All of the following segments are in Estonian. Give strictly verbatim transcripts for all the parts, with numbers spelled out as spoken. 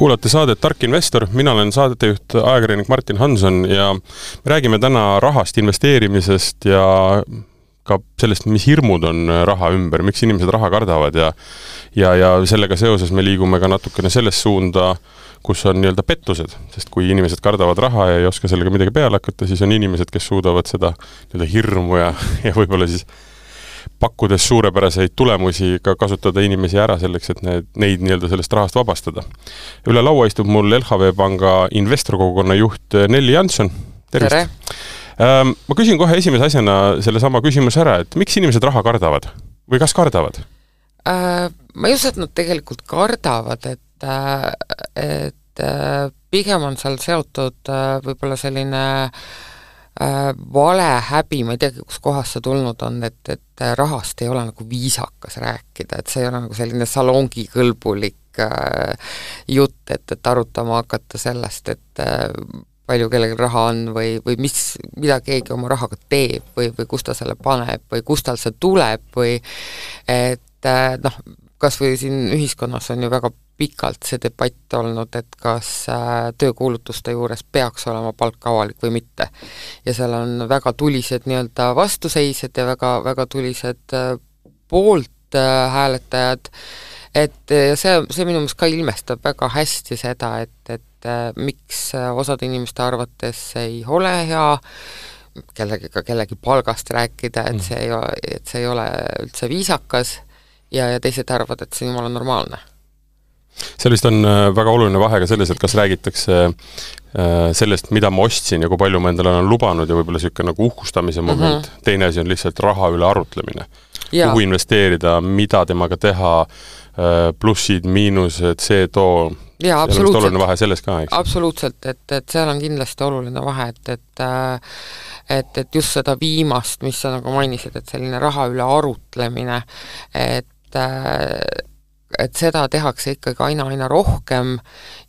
Kuulate saadet Tark Investor, mina olen saadetejuht ajakirjanik Martin Hanson ja me räägime täna rahast, investeerimisest ja ka sellest, mis hirmud on raha ümber, miks inimesed raha kardavad ja, ja, ja sellega seoses me liigume ka natukene selles suunda, kus on nii-öelda pettused, sest kui inimesed kardavad raha ja ei oska sellega midagi peale hakata, siis on inimesed, kes suudavad seda nii-öelda hirmu ja, ja võib-olla siis pakkudes suurepäraseid tulemusi ka kasutada inimesi ära selleks, et need, neid nii-öelda sellest rahast vabastada. Üle laua istub mul L H V Panga investorkogukonna juht Nelli Jansson. Tervist! Tere! Ähm, ma küsin kohe esimese asjana selle sama küsimus ära, et miks inimesed raha kardavad? Või kas kardavad? Äh, ma ei usu, et nad tegelikult kardavad, et, et pigem on seal seotud võib-olla selline vale häbi, ma ei tea, kus kohas see tulnud on, et, et rahast ei ole nagu viisakas rääkida, et see ei ole nagu selline salongikõlbulik jutt, et, et arutama hakata sellest, et palju kellelgi raha on või, või mis, mida keegi oma rahaga teeb või, või kus ta selle paneb või kus tal see tuleb või et noh, kas või siin ühiskonnas on ju väga pikalt see debatt olnud, et kas töökuulutuste juures peaks olema palk avalik või mitte. Ja seal on väga tulised nii-öelda vastuseised ja väga, väga tulised poolt hääletajad, et see, see minu meelest ka ilmestab väga hästi seda, et, et miks osad inimeste arvates ei ole hea kellegiga kellegi palgast rääkida, et see ei ole, et see ei ole üldse viisakas ja, ja teised arvavad, et see jumala normaalne. See vist on väga oluline vahe ka selles, et kas räägitakse sellest, mida ma ostsin ja kui palju ma endale olen lubanud ja võib-olla niisugune nagu uhkustamise moment. Mm-hmm. Teine asi on lihtsalt raha üle arutlemine. Ja. Kuhu investeerida, mida temaga teha, plussid, miinused, see too. Ja, absoluutselt. Oluline vahe selles ka, eks? Absoluutselt, et, et seal on kindlasti oluline vahe, et, et, et, et just seda viimast, mis sa nagu mainisid, et selline raha üle arutlemine, et et seda tehakse ikkagi aina, aina rohkem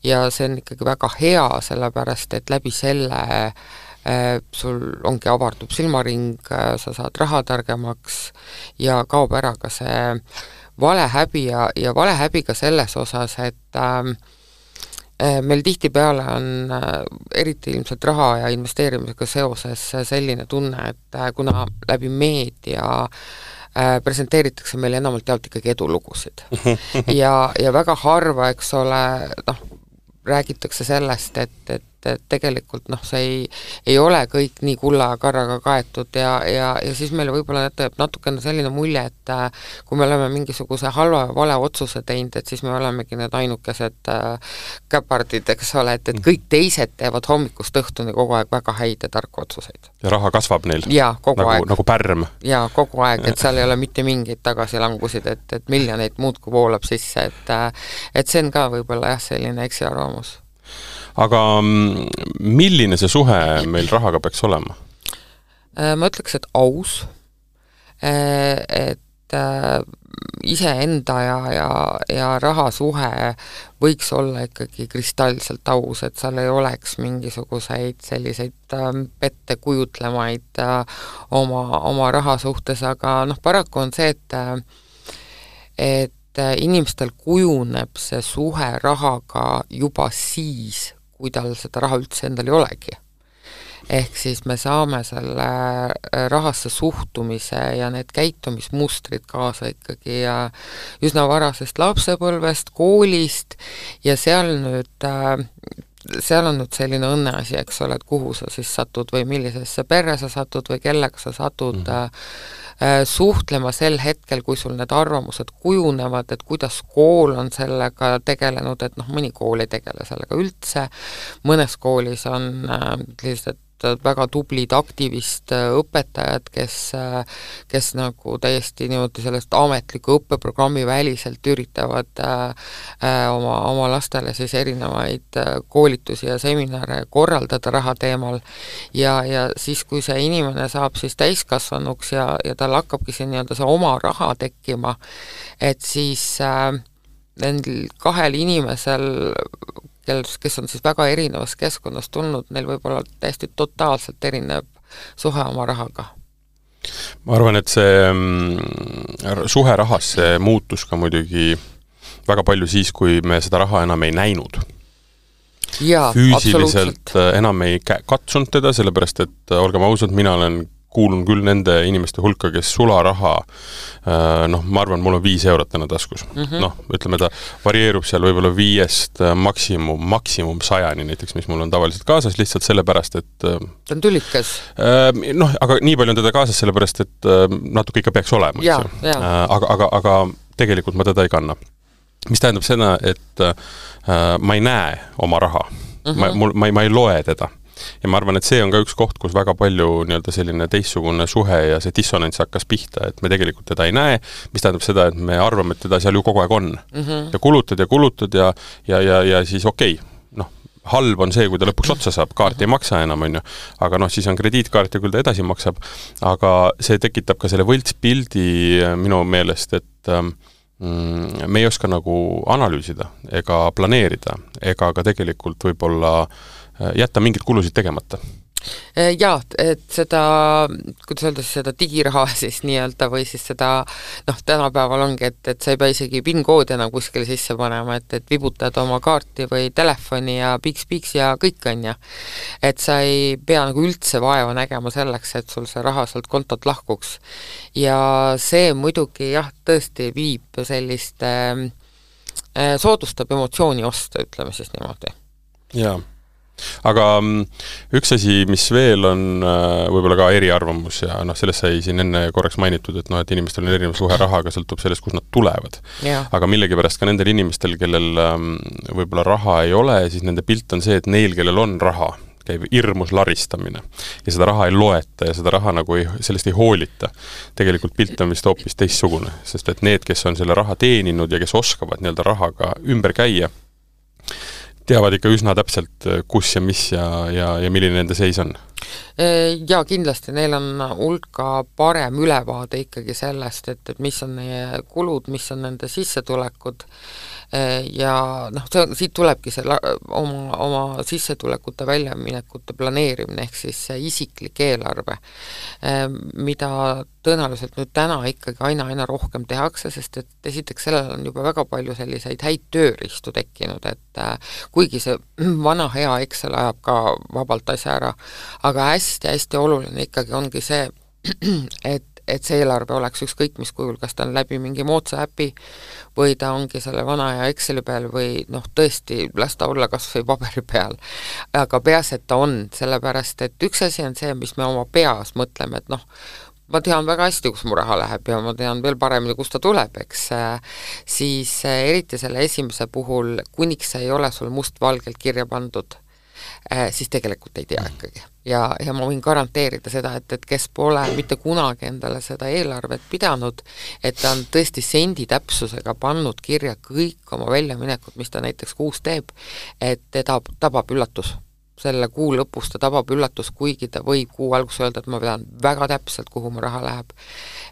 ja see on ikkagi väga hea, sellepärast, et läbi selle äh, sul ongi avardub silmaring, äh, sa saad raha targemaks ja kaob ära ka see valehäbi ja, ja valehäbi ka selles osas, et äh, meil tihtipeale on äh, eriti ilmselt raha ja investeerimisega seoses selline tunne, et äh, kuna läbi meedia presenteeritakse meile enamalt jaolt ikkagi edulugusid. ja, ja väga harva, eks ole, noh, räägitakse sellest, et, et, et tegelikult noh, see ei, ei ole kõik nii kulla ja karraga kaetud ja, ja, ja siis meil võib-olla teeb natukene selline mulje, et kui me oleme mingisuguse halva ja vale otsuse teinud, et siis me olemegi need ainukesed äh, käpardid, eks ole, et, et kõik teised teevad hommikust õhtuni kogu aeg väga häid ja tarku otsuseid. Ja raha kasvab neil? Jaa, kogu nagu, aeg. Nagu pärm? Jaa, kogu aeg, et seal ei ole mitte mingeid tagasilangusid, et, et miljoneid muud kui voolab sisse, et, et see on ka võib-olla jah, selline eksiarvamus. Aga milline see suhe meil rahaga peaks olema? Ma ütleks, et aus, et iseenda ja, ja, ja raha suhe võiks olla ikkagi kristalselt aus, et seal ei oleks mingisuguseid selliseid pette kujutlemaid oma, oma raha suhtes, aga noh, paraku on see, et, et inimestel kujuneb see suhe rahaga juba siis, kui tal seda raha üldse endal ei olegi. Ehk siis me saame selle rahasse suhtumise ja need käitumismustrid kaasa ikkagi ja üsna varasest lapsepõlvest, koolist ja seal nüüd, seal on nüüd selline õnneasi, eks ole, et kuhu sa siis satud või millisesse perre sa satud või kellega sa satud mm-hmm. suhtlema sel hetkel, kui sul need arvamused kujunevad, et kuidas kool on sellega tegelenud, et noh, mõni kool ei tegele sellega üldse, mõnes koolis on lihtsalt väga tublid aktivist õpetajad, kes, kes nagu täiesti niimoodi sellest ametliku õppeprogrammi väliselt üritavad äh, oma, oma lastele siis erinevaid koolitusi ja seminare korraldada raha teemal ja, ja siis, kui see inimene saab siis täiskasvanuks ja, ja tal hakkabki see nii-öelda see oma raha tekkima, et siis äh, nendel kahel inimesel kes on siis väga erinevas keskkonnas tulnud, neil võib olla täiesti totaalselt erinev suhe oma rahaga. Ma arvan, et see suhe rahas see muutus ka muidugi väga palju siis, kui me seda raha enam ei näinud. Jaa, füüsiliselt enam ei katsunud teda, sellepärast et olgem ausad, mina olen kuulun küll nende inimeste hulka, kes sularaha, noh, ma arvan, mul on viis eurot täna taskus. Mm-hmm. Noh, ütleme, ta varieerub seal võib-olla viiest maksimum, maksimum sajani näiteks, mis mul on tavaliselt kaasas, lihtsalt sellepärast, et ta on tülikas. Noh, aga nii palju on teda kaasas sellepärast, et natuke ikka peaks olema. Ja, ja. Aga, aga, aga tegelikult ma teda ei kanna. Mis tähendab seda, et ma ei näe oma raha. Mm-hmm. Ma, mul, ma, ei, ma ei loe teda. Ja ma arvan, et see on ka üks koht, kus väga palju nii-öelda selline teistsugune suhe ja see dissonants hakkas pihta, et me tegelikult teda ei näe, mis tähendab seda, et me arvame, et teda seal ju kogu aeg on. Mm-hmm. Ja kulutad ja kulutad ja, ja, ja, ja siis okei, okay, noh, halb on see, kui ta lõpuks otsa saab, kaart ei maksa enam, on ju, aga noh, siis on krediitkaart ja küll ta edasi maksab, aga see tekitab ka selle võltspildi minu meelest, et mm, me ei oska nagu analüüsida ega planeerida, ega ka tegelikult võib-olla jätta mingid kulusid tegemata. Jaa, et seda, kuidas öelda, seda digiraha siis nii-öelda või siis seda, noh, tänapäeval ongi, et, et sa ei pea isegi PIN-koodi enam kuskile sisse panema, et, et vibutad oma kaarti või telefoni ja piks-piks ja kõik on ja. Et sa ei pea nagu üldse vaeva nägema selleks, et sul see raha sealt kontot lahkuks. Ja see muidugi jah, tõesti viib selliste, äh, soodustab emotsiooni osta, ütleme siis niimoodi. Jaa. Aga üks asi, mis veel on võib-olla ka eriarvamus ja noh, sellest sai siin enne korraks mainitud, et noh, et inimestel on erinev suhe rahaga, sõltub sellest, kus nad tulevad. Ja. Aga millegipärast ka nendel inimestel, kellel võib-olla raha ei ole, siis nende pilt on see, et neil, kellel on raha, käib hirmus laristamine ja seda raha ei loeta ja seda raha nagu ei, sellest ei hoolita. Tegelikult pilt on vist hoopis teistsugune, sest et need, kes on selle raha teeninud ja kes oskavad nii-öelda rahaga ümber käia, teavad ikka üsna täpselt, kus ja mis ja, ja, ja milline nende seis on. Ja kindlasti neil on hulka parem ülevaade ikkagi sellest, et, et mis on neie kulud, mis on nende sissetulekud ja noh, see, siit tulebki see oma, oma sissetulekute väljaminekute planeerimine ehk siis see isiklik eelarve, mida tõenäoliselt nüüd täna ikkagi aina aina rohkem tehakse, sest et esiteks sellel on juba väga palju selliseid häid tööriistu tekkinud, et kuigi see vana hea Excel ajab ka vabalt asja ära, aga hästi-hästi oluline ikkagi ongi see, et et see eelarve oleks ükskõik mis kujul, kas ta on läbi mingi moodsa äpi või ta ongi selle vana ja Exceli peal või noh, tõesti las ta olla kas või paberi peal. Aga peas, et ta on, sellepärast, et üks asi on see, mis me oma peas mõtleme, et noh, ma tean väga hästi, kus mu raha läheb ja ma tean veel paremini, kus ta tuleb, eks, siis eriti selle esimese puhul, kuniks ei ole sul mustvalgelt kirja pandud, siis tegelikult ei tea ikkagi. Ja, ja ma võin garanteerida seda, et, et kes pole mitte kunagi endale seda eelarvet pidanud, et ta on tõesti sendi täpsusega pannud kirja kõik oma väljaminekud, mis ta näiteks kuus teeb, et teda tabab üllatus. Selle kuu lõpus ta tabab üllatus, kuigi ta võib kuu algus öelda, et ma pean väga täpselt, kuhu mu raha läheb.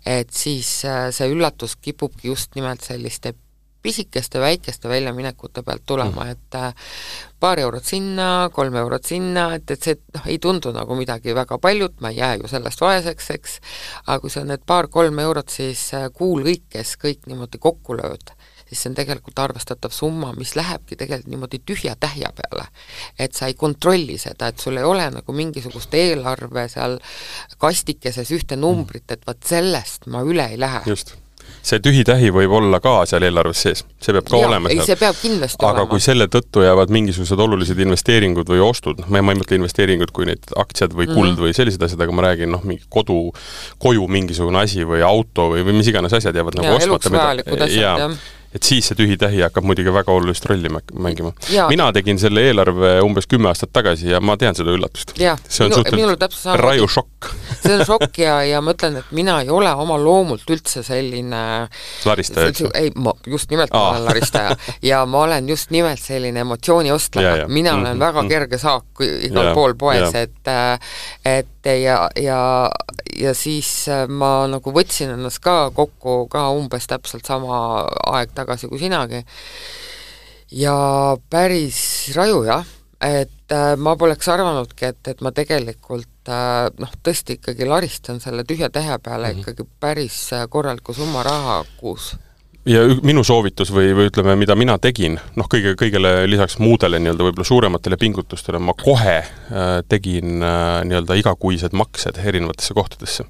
Et siis see üllatus kipubki just nimelt selliste pisikeste väikeste väljaminekute pealt tulema, et paar eurot sinna, kolm eurot sinna, et, et see noh, ei tundu nagu midagi väga paljut, ma ei jää ju sellest vaeseks, eks, aga kui see on need paar-kolm eurot, siis kuu lõikes kõik niimoodi kokku lööd, siis see on tegelikult arvestatav summa, mis lähebki tegelikult niimoodi tühja tähja peale. Et sa ei kontrolli seda, et sul ei ole nagu mingisugust eelarve seal kastikeses ühte numbrit, et vaat sellest ma üle ei lähe. Just. See tühitähi võib olla ka seal eelarves sees, see peab ka ja, olema ei, see peab kindlasti aga olema. Kui selle tõttu jäävad mingisugused olulised investeeringud või ostud, ma ei mõtle investeeringud kui need aktsiad või kuld mm. või sellised asjad, aga ma räägin noh, mingi kodu, koju mingisugune asi või auto või, või mis iganes asjad jäävad ja, nagu ostmata. Eluks vajalikud asjad, ja, jah. Et siis see tühitähi hakkab muidugi väga olulist rolli mängima. Ja. Mina tegin selle eelarve umbes kümme aastat tagasi ja ma tean seda üllatust. Ja, see on suhteliselt raju šokk. See on šokk ja, ja ma ütlen, et mina ei ole oma loomult üldse selline laristaja. See, ei, ma just nimelt ma olen laristaja ja ma olen just nimelt selline emotsiooni ostleja. Mina olen mm-hmm. väga kerge saak igal ja, pool poes, ja. et, et ja, ja, ja siis ma nagu võtsin ennast ka kokku ka umbes täpselt sama aeg tagasi kui sinagi. Ja päris raju, jah, et äh, ma poleks arvanudki, et, et ma tegelikult äh, noh, tõesti ikkagi laristan selle tühja tähe peale mm-hmm. ikkagi päris korraliku summa raha kuus. ja minu soovitus või, või ütleme, mida mina tegin, noh, kõige, kõigele lisaks muudele nii-öelda võib-olla suurematele pingutustele, ma kohe äh, tegin äh, nii-öelda igakuised maksed erinevatesse kohtadesse.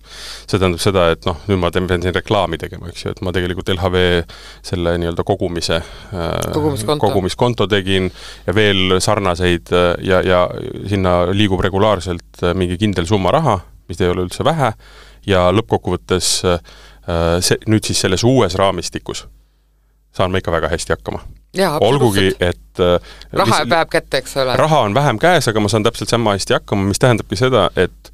See tähendab seda, et noh, nüüd ma teen siin reklaami tegema, eks ju, et ma tegelikult L H V selle nii-öelda kogumise äh, kogumiskonto. kogumiskonto tegin ja veel sarnaseid äh, ja, ja sinna liigub regulaarselt äh, mingi kindel summa raha, mis ei ole üldse vähe, ja lõppkokkuvõttes äh, See, nüüd siis selles uues raamistikus saan ma ikka väga hästi hakkama. Jaa, olgugi, et raha mis, päev kätte, eks ole. Raha on vähem käes, aga ma saan täpselt sama hästi hakkama, mis tähendabki seda, et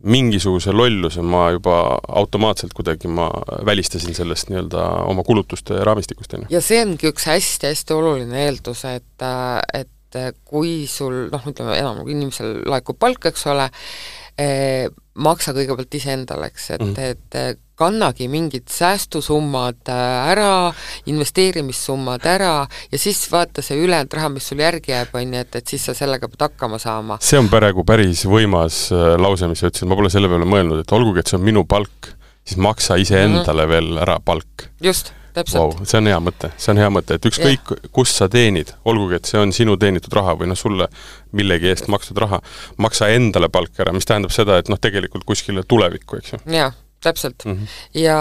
mingisuguse lolluse ma juba automaatselt kuidagi ma välistasin sellest nii-öelda oma kulutuste raamistikust. Ja see ongi üks hästi-hästi oluline eeldus, et, et kui sul, noh, ütleme, enam inimesel laekub palk, eks ole, eh, maksa kõigepealt ise endaleks, et, mm. et kannagi mingid säästusummad ära, investeerimissummad ära ja siis vaata see ülejäänud raha, mis sul järgi jääb, on, et, et siis sa sellega pead hakkama saama. See on praegu päris võimas lause, mis sa ütlesid, ma pole selle peale mõelnud, et olgugi, et see on minu palk, siis maksa ise endale mm-hmm. veel ära palk. Just, täpselt. Wow, see on hea mõte, see on hea mõte, et ükskõik yeah. kus sa teenid, olgugi, et see on sinu teenitud raha või noh, sulle millegi eest makstud raha, maksa endale palk ära, mis tähendab seda, et noh, tegelikult kuskile tulevikku, eks ju. Jaa, täpselt. Mm-hmm. Ja,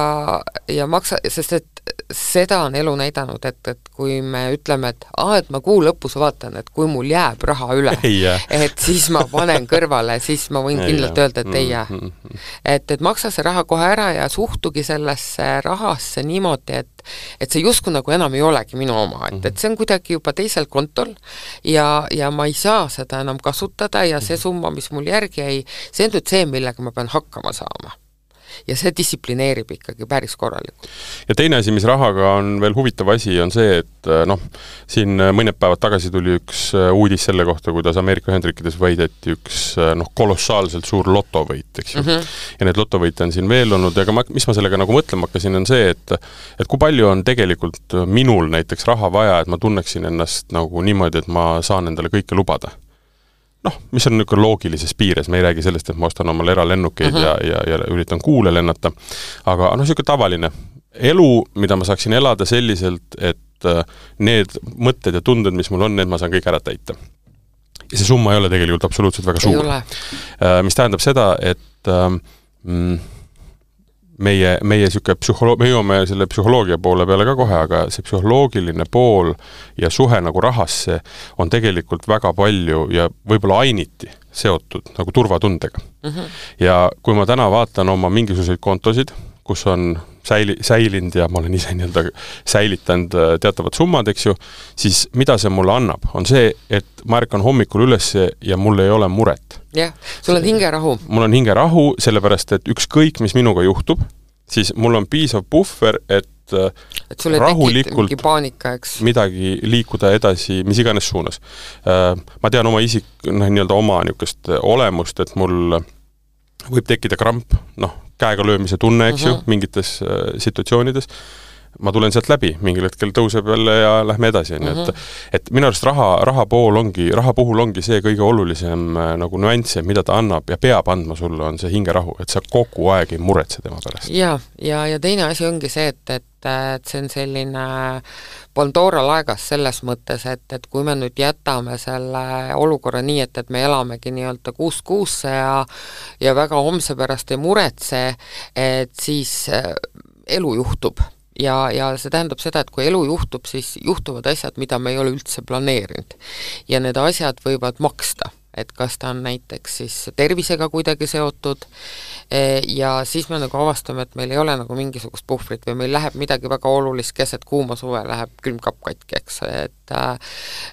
ja maksa, sest et seda on elu näidanud, et, et kui me ütleme, et aa, et ma kuu lõpus vaatan, et kui mul jääb raha üle, et siis ma panen kõrvale, siis ma võin kindlalt öelda, et ei jää. Mm-hmm. Et, et maksa see raha kohe ära ja suhtugi sellesse rahasse niimoodi, et, et see justkui nagu enam ei olegi minu oma, et, et see on kuidagi juba teisel kontol ja, ja ma ei saa seda enam kasutada ja see summa, mis mul järgi ei, see on nüüd see, millega ma pean hakkama saama. Ja see distsiplineerib ikkagi päris korralikult. Ja teine asi, mis rahaga on veel huvitav asi, on see, et noh, siin mõned päevad tagasi tuli üks uudis selle kohta, kuidas Ameerika Ühendriikides võideti üks noh, kolossaalselt suur lotovõit, eks ju. Mm-hmm. Ja need lotovõite on siin veel olnud, aga ma, mis ma sellega nagu mõtlema hakkasin, on see, et, et kui palju on tegelikult minul näiteks raha vaja, et ma tunneksin ennast nagu niimoodi, et ma saan endale kõike lubada. Noh, mis on niisugune loogilises piires, me ei räägi sellest, et ma ostan omale eralennukeid uh-huh. ja, ja, ja üritan kuule lennata, aga noh, niisugune tavaline elu, mida ma saaksin elada selliselt, et need mõtted ja tunded, mis mul on, need ma saan kõik ära täita. Ja see summa ei ole tegelikult absoluutselt väga suur. Mis tähendab seda, et mm, meie, meie siuke psühholo- me jõuame selle psühholoogia poole peale ka kohe, aga see psühholoogiline pool ja suhe nagu rahasse on tegelikult väga palju ja võib-olla ainiti seotud nagu turvatundega. Mm-hmm. Ja kui ma täna vaatan oma mingisuguseid kontosid, kus on säili, säilind ja ma olen ise nii-öelda säilitanud teatavad summad, eks ju, siis mida see mulle annab? On see, et ma ärkan hommikul üles ja mul ei ole muret. Jah, sul on hingerahu. Mul on hingerahu, sellepärast, et ükskõik, mis minuga juhtub, siis mul on piisav puhver, et et sulle rahulikult mingi paanika, eks? Midagi liikuda edasi, mis iganes suunas. Ma tean oma isik, noh, nii-öelda oma niisugust olemust, et mul võib tekkida kramp, noh, käega löömise tunne, eks uh-huh. ju, mingites äh, situatsioonides. Ma tulen sealt läbi, mingil hetkel tõuseb jälle ja lähme edasi. Uh-huh. Et, et minu arust raha, raha, pool ongi, raha puhul ongi see kõige olulisem äh, nagu nüansse, mida ta annab ja peab andma sulle, on see hingerahu, et sa kogu aeg ei muretse tema pärast. Ja, ja, ja teine asi ongi see, et, et, et see on selline Pandora laegas selles mõttes, et, et kui me nüüd jätame selle olukorra nii, et, et me elamegi nii-öelda kuus kuusse ja, ja väga homse pärast ei muretse, et siis elu juhtub. Ja, ja see tähendab seda, et kui elu juhtub, siis juhtuvad asjad, mida me ei ole üldse planeerinud. Ja need asjad võivad maksta, et kas ta on näiteks siis tervisega kuidagi seotud ja siis me nagu avastame, et meil ei ole nagu mingisugust puhvrit või meil läheb midagi väga olulist keset kuuma suve, läheb külmkapp katki, eks. Et,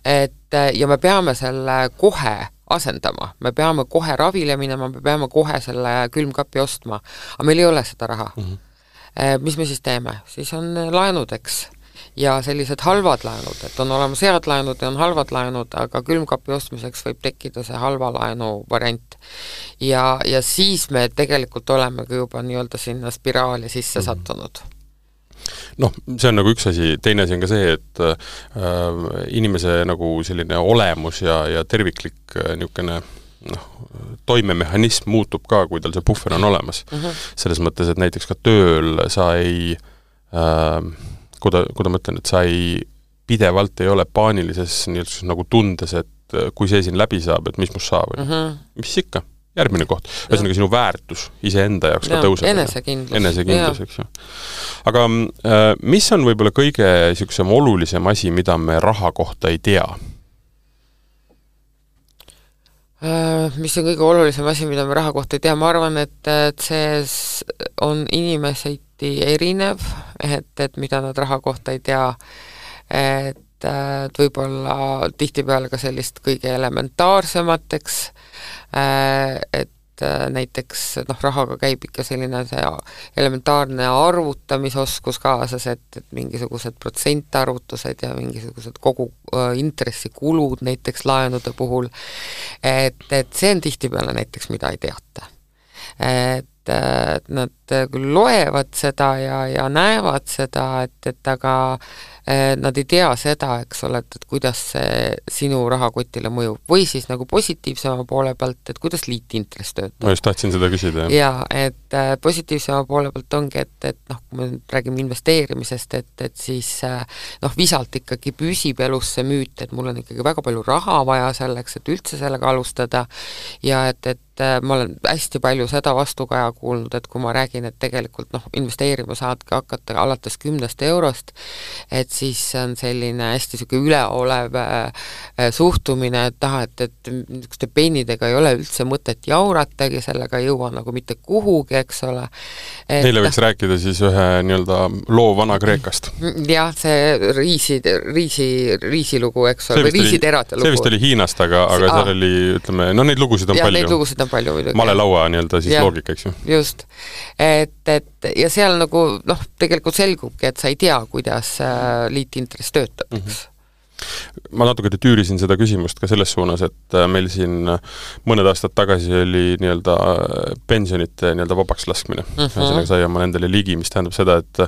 et, ja me peame selle kohe asendama, me peame kohe ravile minema, me peame kohe selle külmkapi ostma, aga meil ei ole seda raha. Mm-hmm. Mis me siis teeme? Siis on laenud, eks, ja sellised halvad laenud, et on olemas head laenud ja on halvad laenud, aga külmkapi ostmiseks võib tekkida see halva laenu variant. Ja, ja siis me tegelikult olemegi juba nii-öelda sinna spiraali sisse mm-hmm. sattunud. Noh, see on nagu üks asi, teine asi on ka see, et äh, inimese nagu selline olemus ja, ja terviklik äh, niisugune noh, toimemehhanism muutub ka, kui tal see puhver on olemas. Uh-huh. Selles mõttes, et näiteks ka tööl sa ei äh, kuida, kuida ma ütlen, et sa ei, pidevalt ei ole paanilises nii, nagu tundes, et kui see siin läbi saab, et mis must saab, mm -hmm. mis ikka, järgmine koht. Ühesõnaga sinu väärtus iseenda jaoks ka tõuseb. Enesekindlus. Enesekindlus, eks ju. Aga äh, mis on võib-olla kõige siuksem olulisem asi, mida me raha kohta ei tea? Uh, mis on kõige olulisem asi, mida me raha kohta ei tea? Ma arvan, et, et see on inimeseti erinev, et, et mida nad raha kohta ei tea, et, et võib-olla tihtipeale ka sellist kõige elementaarsemateks, et näiteks noh, rahaga käib ikka selline see elementaarne arvutamisoskus kaasas, et, et mingisugused protsentarvutused ja mingisugused kogu äh, intressikulud näiteks laenude puhul, et, et see on tihtipeale näiteks, mida ei teata. Et, et nad küll loevad seda ja, ja näevad seda, et, et aga nad ei tea seda, eks ole, et, et kuidas see sinu rahakotile mõjub. Või siis nagu positiivsema poole pealt, et kuidas liitintress töötab. Ma just tahtsin seda küsida. Jah. Ja, et äh, positiivsema poole pealt ongi, et, et noh, kui me räägime investeerimisest, et, et siis äh, noh, visalt ikkagi püsib elus see müüt, et mul on ikkagi väga palju raha vaja selleks, et üldse sellega alustada ja et, et ma olen hästi palju seda vastukaja kuulnud, et kui ma räägin, et tegelikult noh, investeerima saadki hakata alates kümnest eurost, et siis on selline hästi siuke üleolev äh, suhtumine, et taha, et, et niisuguste pennidega ei ole üldse mõtet jauratagi, sellega ei jõua nagu mitte kuhugi, eks ole. Et, Neile võiks rääkida siis ühe nii-öelda loo Vana-Kreekast. Jah, see riisi, riisi, riisilugu, eks ole, või riisiterate lugu. See vist oli Hiinast, aga, aga seal Aa. oli, ütleme, no neid lugusid on ja, palju. Neid lugusid on palju muidugi. Malelaua nii-öelda siis ja, loogika, eks ju. Just. Et, et ja seal nagu, noh, tegelikult selgubki, et sa ei tea, kuidas liitintress töötab, eks. Mm-hmm. Ma natuke tüürisin seda küsimust ka selles suunas, et meil siin mõned aastad tagasi oli nii-öelda pensionite nii-öelda vabaks laskmine. Mm-hmm. Sai oma nendele ligi, mis tähendab seda, et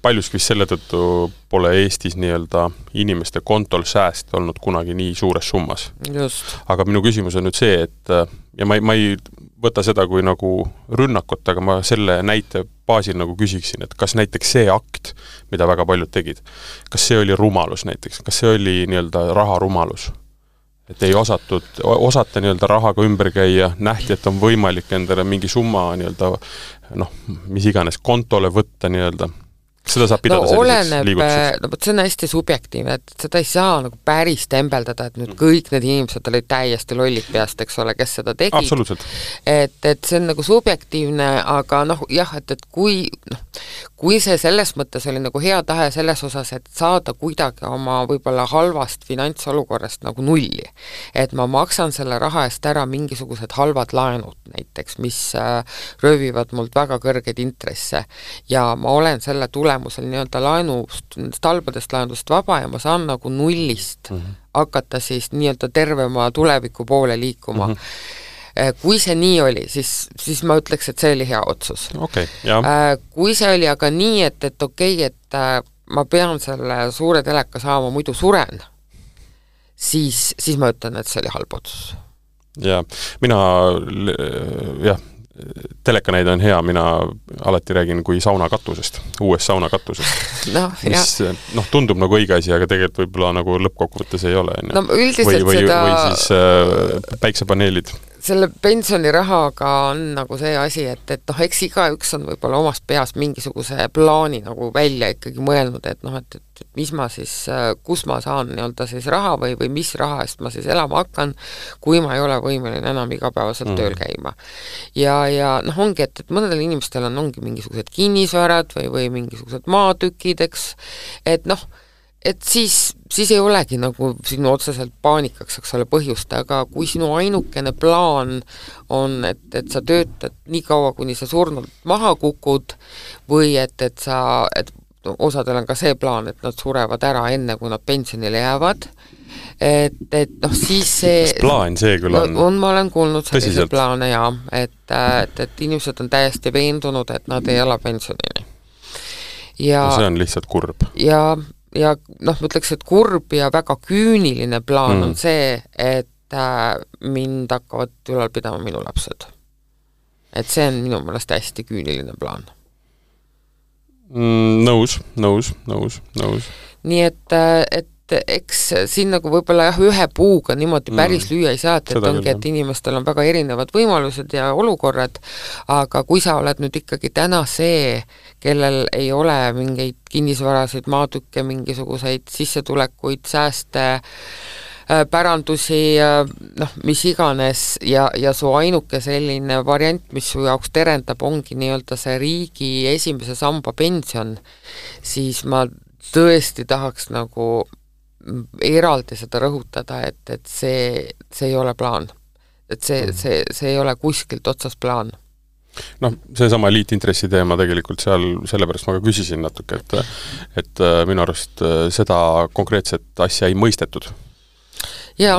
paljuski vist selle tõttu pole Eestis nii-öelda inimeste kontol sääst olnud kunagi nii suures summas. Just. Aga minu küsimus on nüüd see, et ja ma ei, ma ei võta seda kui nagu rünnakut, aga ma selle näite baasil nagu küsiksin, et kas näiteks see akt, mida väga paljud tegid, kas see oli rumalus näiteks, kas see oli nii-öelda raharumalus? Et ei osatud, osata nii-öelda rahaga ümber käia, nähti, et on võimalik endale mingi summa nii-öelda, noh, mis iganes kontole võtta nii-öelda. Seda saab pidada no, selliseks liigutuseks. No, see on hästi subjektiivne, et seda ei saa nagu päris tembeldada, et nüüd kõik need inimesed olid täiesti lollid peast, eks ole, kes seda tegid. Absoluutselt. Et, et see on nagu subjektiivne, aga noh, jah, et, et kui, noh, kui see selles mõttes oli nagu hea tahe selles osas, et saada kuidagi oma võib-olla halvast finantsolukorrast nagu nulli. Et ma maksan selle raha eest ära mingisugused halvad laenud näiteks, mis äh, röövivad mult väga kõrgeid intresse ja ma olen selle tule tulemusel nii-öelda laenust, talbadest laenudest vaba ja ma saan nagu nullist mm -hmm. hakata siis nii-öelda tervema tuleviku poole liikuma. Mm -hmm. Kui see nii oli, siis, siis ma ütleks, et see oli hea otsus. Okay, jah. Kui see oli aga nii, et, et okei, okay, et ma pean selle suure teleka saama, muidu suren, siis, siis ma ütlen, et see oli halb otsus. Ja mina, jah, telekanäide on hea, mina alati räägin kui saunakatusest, uuest saunakatusest. No, mis noh, tundub nagu õige asi, aga tegelikult võib-olla nagu lõppkokkuvõttes ei ole. No, üldiselt või, või, seda... või siis äh, päiksepaneelid. Selle pensionirahaga on nagu see asi, et, et noh, eks igaüks on võib-olla omast peas mingisuguse plaani nagu välja ikkagi mõelnud, et noh, et, et mis ma siis, kus ma saan nii-öelda siis raha või, või mis raha eest ma siis elama hakkan, kui ma ei ole võimeline enam igapäevaselt mm. tööl käima. Ja, ja noh, ongi, et, et mõnedel inimestel on ongi mingisugused kinnisvarad või, või mingisugused maatükid, eks, et noh, et siis, siis ei olegi nagu sinu otseselt paanikaks, eks ole, põhjust, aga kui sinu ainukene plaan on, et, et sa töötad nii kaua, kuni sa surnult maha kukud või et, et sa, et osadel on ka see plaan, et nad surevad ära enne, kui nad pensionile jäävad, et, et noh, siis see... Kas plaan see küll on? No, on ma olen kuulnud sellise plaane, jaa, et, et, et inimesed on täiesti veendunud, et nad ei ela pensionini. Ja, no see on lihtsalt kurb. Ja ja noh, ma ütleks, et kurb ja väga küüniline plaan mm. on see, et äh, mind hakkavad ülal pidama minu lapsed. Et see on minu meelest hästi küüniline plaan. Mm, nõus, nõus, nõus, nõus. Nii et, et eks siin nagu võib-olla jah, ühe puuga niimoodi päris mm. lüüa ei saa, et, et ongi, et inimestel on väga erinevad võimalused ja olukorrad, aga kui sa oled nüüd ikkagi täna see, kellel ei ole mingeid kinnisvaraseid maatükke, mingisuguseid sissetulekuid, sääste, pärandusi, noh, mis iganes ja, ja su ainuke selline variant, mis su jaoks terendab, ongi nii-öelda see riigi esimese samba pension, siis ma tõesti tahaks nagu eraldi seda rõhutada, et, et see, see ei ole plaan. Et see, see, see ei ole kuskilt otsas plaan. Noh, see sama liitintressi teema tegelikult seal, sellepärast ma ka küsisin natuke, et, et minu arust seda konkreetset asja ei mõistetud. Ja,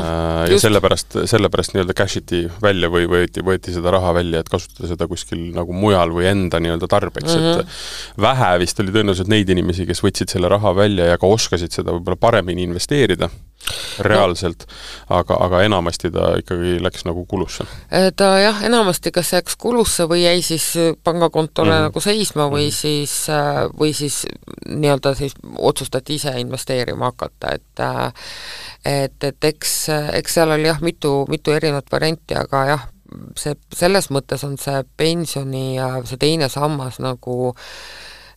ja sellepärast, sellepärast nii-öelda cashiti välja või võeti, võeti seda raha välja, et kasutada seda kuskil nagu mujal või enda nii-öelda tarbeks, mm-hmm. et vähe vist oli tõenäoliselt neid inimesi, kes võtsid selle raha välja ja ka oskasid seda võib-olla paremini investeerida reaalselt, no. aga, aga enamasti ta ikkagi läks nagu kulusse. Ta jah, enamasti kas läks kulusse või jäi siis pangakontole mm-hmm. nagu seisma või mm-hmm. siis, või siis nii-öelda siis otsustati ise investeerima hakata, et et, et eks, eks seal oli jah mitu, mitu erinevat varianti, aga jah, see, selles mõttes on see pensioni ja see teine sammas nagu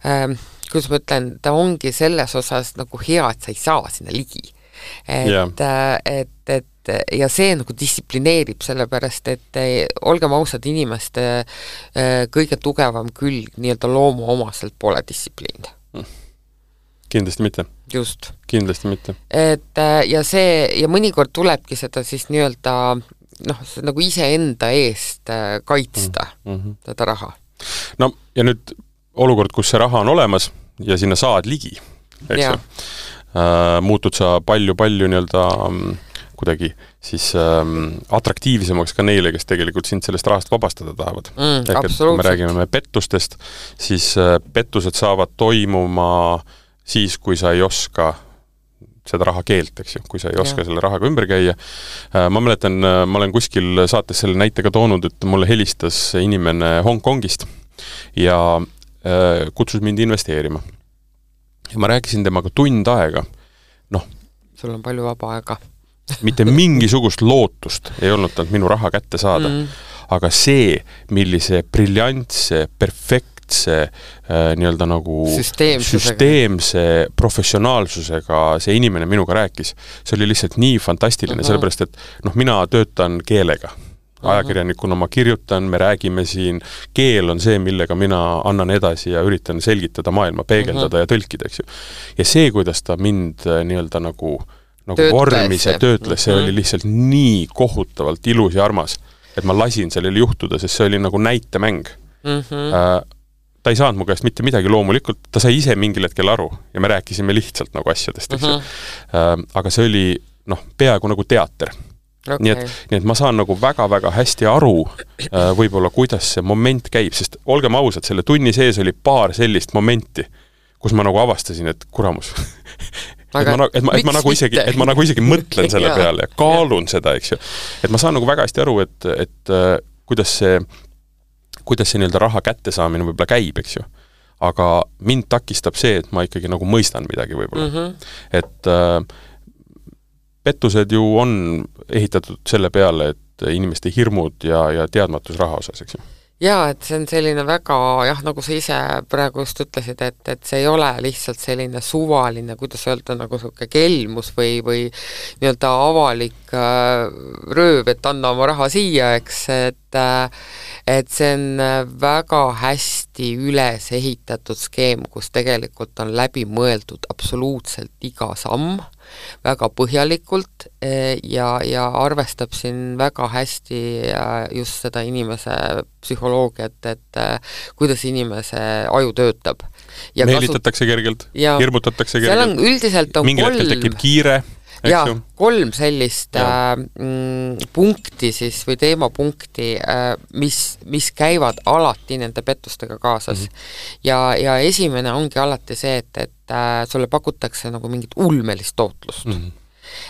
ähm, kuidas ma ütlen, ta ongi selles osas nagu hea, et sa ei saa sinna ligi. Et, yeah. et, et ja see nagu distsiplineerib sellepärast, et olgem ausad, inimeste kõige tugevam külg nii-öelda loomu omaselt pole distsipliin. Kindlasti mitte. Just. Kindlasti mitte. Et ja see, ja mõnikord tulebki seda siis nii-öelda noh, nagu ise enda eest kaitsta mm-hmm. seda raha. No ja nüüd olukord, kus see raha on olemas ja sinna saad ligi, eks ju, äh, muutud sa palju-palju nii-öelda kuidagi siis ähm, atraktiivsemaks ka neile, kes tegelikult sind sellest rahast vabastada tahavad. Mm, Ehk, et kui me räägime pettustest, siis äh, pettused saavad toimuma siis, kui sa ei oska seda raha keelt, eks ju, kui sa ei oska ja. selle rahaga ümber käia. Ma mäletan, ma olen kuskil saates selle näitega toonud, et mulle helistas inimene Hongkongist ja äh, kutsus mind investeerima. Ja ma rääkisin temaga tund aega. Noh, sul on palju vaba aega. mitte mingisugust lootust ei olnud tal minu raha kätte saada. Mm. Aga see, millise briljantse, perfekt see äh, nii-öelda nagu süsteemse professionaalsusega see inimene minuga rääkis. See oli lihtsalt nii fantastiline, uh-huh. sellepärast, et noh, mina töötan keelega. Ajakirjanikuna ma kirjutan, me räägime siin, keel on see, millega mina annan edasi ja üritan selgitada maailma, peegeldada uh-huh. ja tõlkida, eks ju. Ja see, kuidas ta mind nii-öelda nagu, nagu vormis ja töötles, see uh-huh. oli lihtsalt nii kohutavalt ilus ja armas, et ma lasin sellele juhtuda, sest see oli nagu näitemäng. Uh-huh. Äh, ta ei saanud mu käest mitte midagi loomulikult, ta sai ise mingil hetkel aru ja me rääkisime lihtsalt nagu asjadest, eks ju. Uh-huh. Aga see oli, noh, peaaegu nagu teater. Okay. Nii, et, nii et ma saan nagu väga-väga hästi aru võib-olla, kuidas see moment käib, sest olgem ausad, selle tunni sees oli paar sellist momenti, kus ma nagu avastasin, et kuramus. et, ma, et, ma, et, ma nagu isegi, et ma nagu isegi mõtlen selle peale ja kaalun seda, eks ju. Et ma saan nagu väga hästi aru, et, et kuidas see kuidas see nii-öelda raha kätte saamine võib-olla käib, eks ju. Aga mind takistab see, et ma ikkagi nagu mõistan midagi võib-olla. Mm-hmm. Et äh, pettused ju on ehitatud selle peale, et inimeste hirmud ja, ja teadmatus raha osas, eks ju. Jaa, et see on selline väga, jah, nagu sa ise praegu just ütlesid, et, et see ei ole lihtsalt selline suvaline, kuidas öelda, nagu selline kelmus või, või nii-öelda avalik äh, rööv, et anna oma raha siia, eks, et, äh, et see on väga hästi üles ehitatud skeem, kus tegelikult on läbi mõeldud absoluutselt iga samm, väga põhjalikult ja, ja arvestab siin väga hästi just seda inimese psühholoogiat, et kuidas inimese aju töötab. Meelitatakse kergelt, hirmutatakse kergelt. Seal on üldiselt on mingil hetkel tekib kiire. Ja, kolm sellist äh, punkti siis või teemapunkti, äh, mis, mis käivad alati nende pettustega kaasas. Mm-hmm. Ja, ja esimene ongi alati see, et, et äh, sulle pakutakse nagu mingit ulmelist tootlust. Mm-hmm.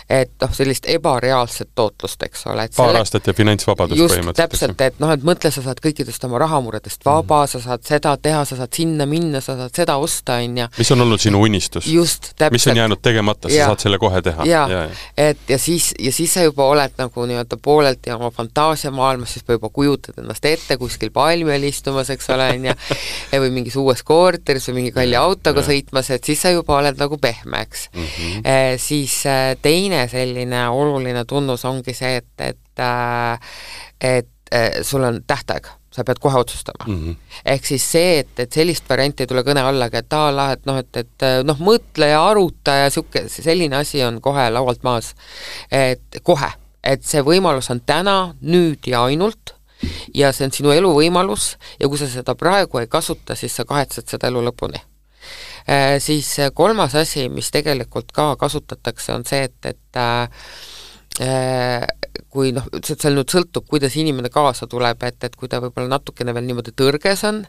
et noh, sellist ebareaalset tootlust, eks ole. Paar selle... aastat ja finantsvabadust just, põhimõtteliselt. Täpselt, et noh, et mõtle, sa saad kõikidest oma rahamuredest vaba, mm-hmm. sa saad seda teha, sa saad sinna minna, sa saad seda osta, on ja mis on olnud sinu unistus? Just, täpselt. Mis on jäänud tegemata, sa ja. saad selle kohe teha. Ja, ja, ja. Et, ja, siis, ja siis sa juba oled nagu nii-öelda poolelt ja oma fantaasiamaailmas, siis juba kujutad ennast ette kuskil palmel istumas, eks ole, on ja või mingis uues korteris või mingi kalli autoga ja. sõitmas, et siis sa juba oled nagu pehme, eks. Mm-hmm. E, siis teine selline oluline tunnus ongi see, et, et, et, et sul on tähtaeg, sa pead kohe otsustama. Mm-hmm. Ehk siis see, et, et sellist varianti ei tule kõne allagi, et taala, et noh, et, et noh, mõtle ja aruta ja siuke, selline asi on kohe laualt maas. Et kohe, et see võimalus on täna, nüüd ja ainult ja see on sinu elu võimalus ja kui sa seda praegu ei kasuta, siis sa kahetsed seda elu lõpuni. Äh, siis kolmas asi, mis tegelikult ka kasutatakse, on see, et, et äh, kui noh, seal nüüd sõltub, kuidas inimene kaasa tuleb, et, et kui ta võib-olla natukene veel niimoodi tõrges on,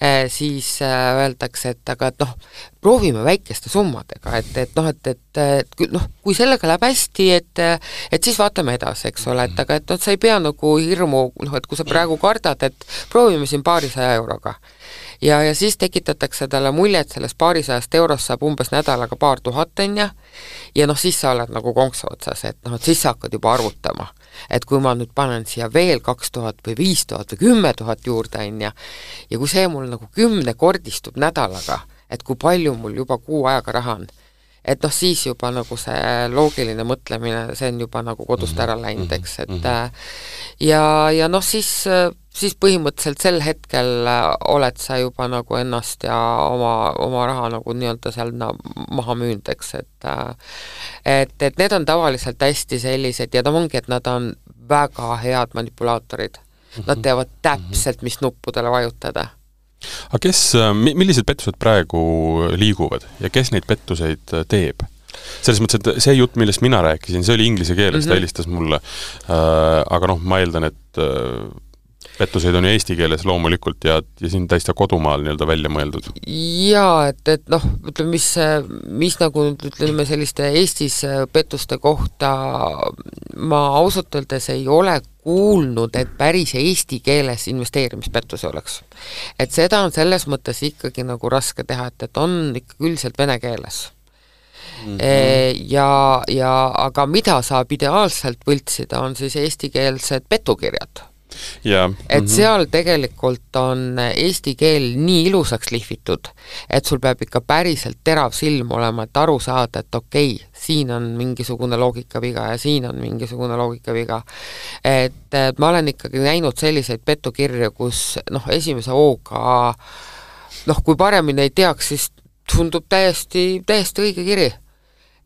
äh, siis äh, öeldakse, et aga et noh, proovime väikeste summadega, et, et noh, et, et, et noh, kui sellega läheb hästi, et, et siis vaatame edasi, eks ole, et aga et noh, sa ei pea nagu hirmu, noh, et kui sa praegu kardad, et proovime siin paarisaja euroga. Ja, ja siis tekitatakse talle mulje, et sellest paarisajast eurost saab umbes nädalaga paar tuhatenja ja noh, siis sa oled nagu konksu otsas, et noh, et siis sa hakkad juba arvutama, et kui ma nüüd panen siia veel kaks tuhat või viis tuhat või kümme tuhat juurde enja ja kui see mul nagu kümne kordistub nädalaga, et kui palju mul juba kuu ajaga raha on, et noh, siis juba nagu see loogiline mõtlemine, see on juba nagu kodust ära läinud, eks, et ja, ja noh, siis, siis põhimõtteliselt sel hetkel oled sa juba nagu ennast ja oma, oma raha nagu nii-öelda seal na, maha müünud, eks, et et, et need on tavaliselt hästi sellised ja ta ongi, et nad on väga head manipulaatorid. Nad teavad täpselt, mis nuppudele vajutada. Aga kes, millised pettused praegu liiguvad ja kes neid pettuseid teeb? Selles mõttes, et see jutt, millest mina rääkisin, see oli inglise keeles, mm-hmm. ta helistas mulle, aga noh, ma eeldan, et pettuseid on ju eesti keeles loomulikult ja, ja siin täiesti kodumaal nii-öelda välja mõeldud. Jaa, et, et noh, ütleme, mis, mis nagu ütleme selliste Eestis pettuste kohta ma ausalt öeldes ei ole kuulnud, et päris eesti keeles investeerimispettusi oleks. Et seda on selles mõttes ikkagi nagu raske teha, et, et on ikka üldiselt vene keeles. Mm-hmm. Ja, ja, aga mida saab ideaalselt võltsida, on siis eestikeelsed petukirjad. Ja, et mm-hmm. seal tegelikult on eesti keel nii ilusaks lihvitud, et sul peab ikka päriselt terav silm olema, et aru saada, et okei, siin on mingisugune loogikaviga ja siin on mingisugune loogikaviga. Et, et ma olen ikkagi näinud selliseid petukirju, kus noh, esimese hooga noh, kui paremini ei teaks, siis tundub täiesti, täiesti õige kiri.